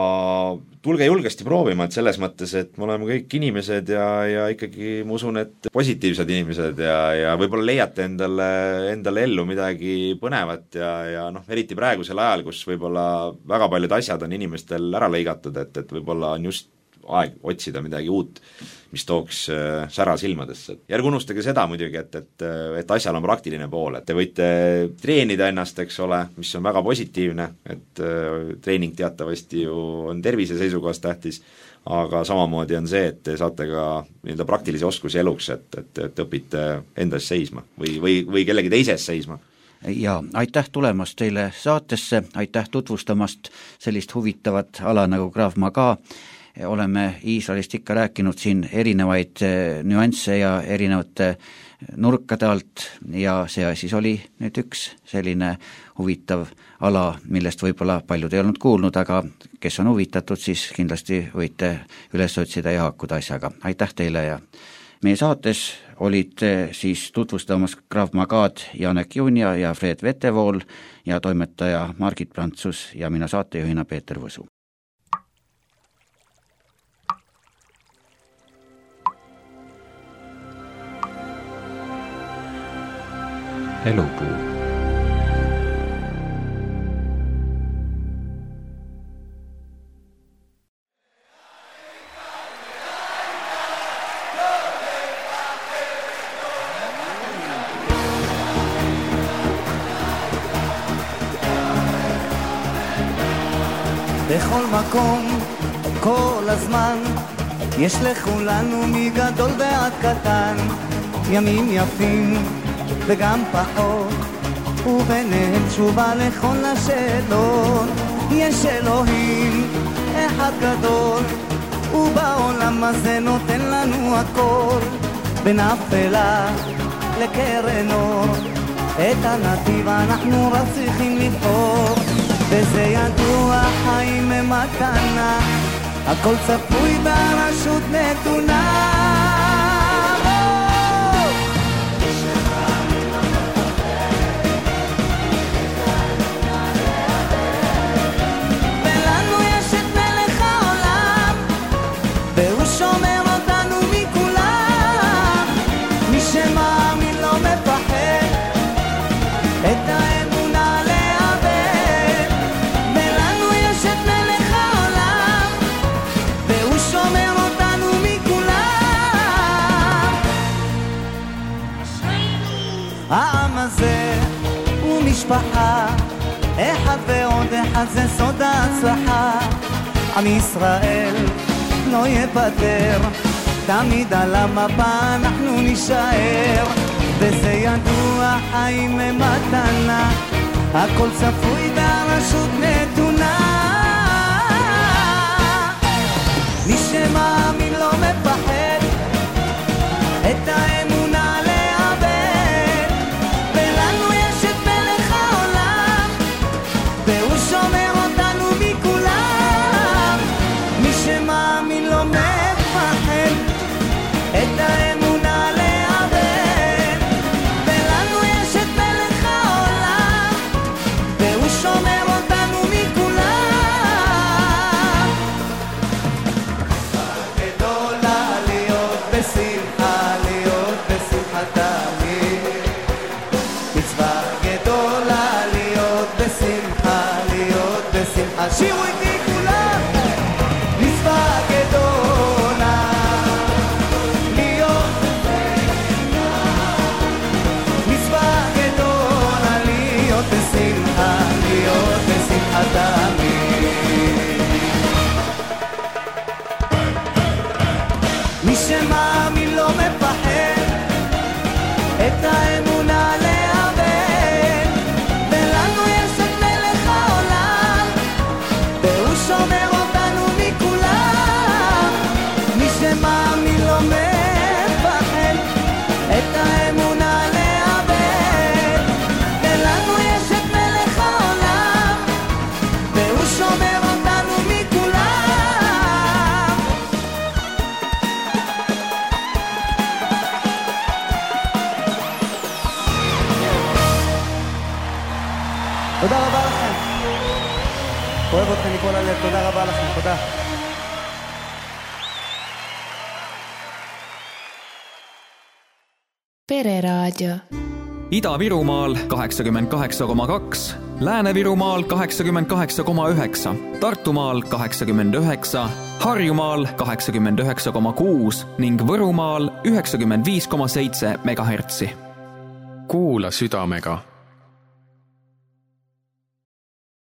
tulge julgesti proovima, et selles mõttes, et me oleme kõik inimesed ja ikkagi ma usun, et positiivsed inimesed ja võib-olla leiate endale ellu midagi põnevat ja eriti praegusel ajal, kus võib-olla väga paljud asjad on inimestel ära lõigatud, et võib-olla on just aeg otsida midagi uut, mis tooks sära silmadesse. Ja ärge unustage seda muidugi, et asjal on praktiline pool, et te võite treenida ennast, eks ole, mis on väga positiivne, et treening teatavasti ju on tervise seisukohast tähtis, aga samamoodi on see, et te saate ka nii-öelda praktilisi oskusi eluks, et õpite endas seisma või kellegi teises seisma. Ja aitäh tulemast teile saatesse, aitäh tutvustamast sellist huvitavat ala nagu Krav Maga. Oleme Iisraelist ikka rääkinud siin erinevaid nüansse ja erinevate nurkade alt ja see siis oli nüüd üks selline huvitav ala, millest võib-olla paljud ei olnud kuulnud, aga kes on huvitatud, siis kindlasti võite üles otsida ja haakuda asjaga. Aitäh teile ja meie saates olid siis tutvustamas Krav Magad Janek Junja ja Fred Vetevool ja toimetaja Margit Prantsus ja mina saatejuhina Peeter Võsu. Elupuu. בכל מקום, כל הזמן, יש לכולנו מגדול ועד קטן, ימים יפים וגם פחות, וביניהם תשובה לכל השאלות. יש אלוהים אחד גדול, ובעולם הזה נותן לנו הכל, בין אפלה לקרן אור, את הנתיב אנחנו רק צריכים לבחור, וזה ידוע, חיים הם מתנה, הכל צפוי ברשות נתונה. העם הזה הוא משפחה, אחד ועוד אחד זה סוד ההצלחה. עם ישראל לא יפטר, תמיד על המפה אנחנו נשאר, וזה ידוע, חיים הם מתנה, הכל צפוי והרשות נתונה. מי שמאמין לא מפחד, את האמונה לאבד, ולנו יש את מלך העולם, והוא שומר אותנו מכולם. מי שמאמין לא מפחד, את האמונה לאבד, ולנו יש את מלך העולם, והוא שומר אותנו מכולם. גדולה להיות בשמחה, להיות בשמחתה, מצווה גדולה להיות בשמחה, להיות בשמחה. שירו איתי כולם, מצווה גדולה להיות בשמחה, מצווה גדולה להיות בשמחה, להיות בשמחתה. מי שמאמין לא מפחד, את האמונה לאבד, ולנו יש את מלך העולם, והוא שומר אותנו מכולם. מי שמאמין לא מפחד, את האמונה לאבד, ולנו יש את מלך העולם, והוא שומר אותנו מכולם. לכם מכל הלב, תודה רבה לכם, תודה. Pereraadio. Ida-Virumaal 88,2, Lääne-Virumaal 88,9, Tartumaal 89, Harjumaal 89,6 ning Võrumaal 95,7 megahertsi. Kuula südamega.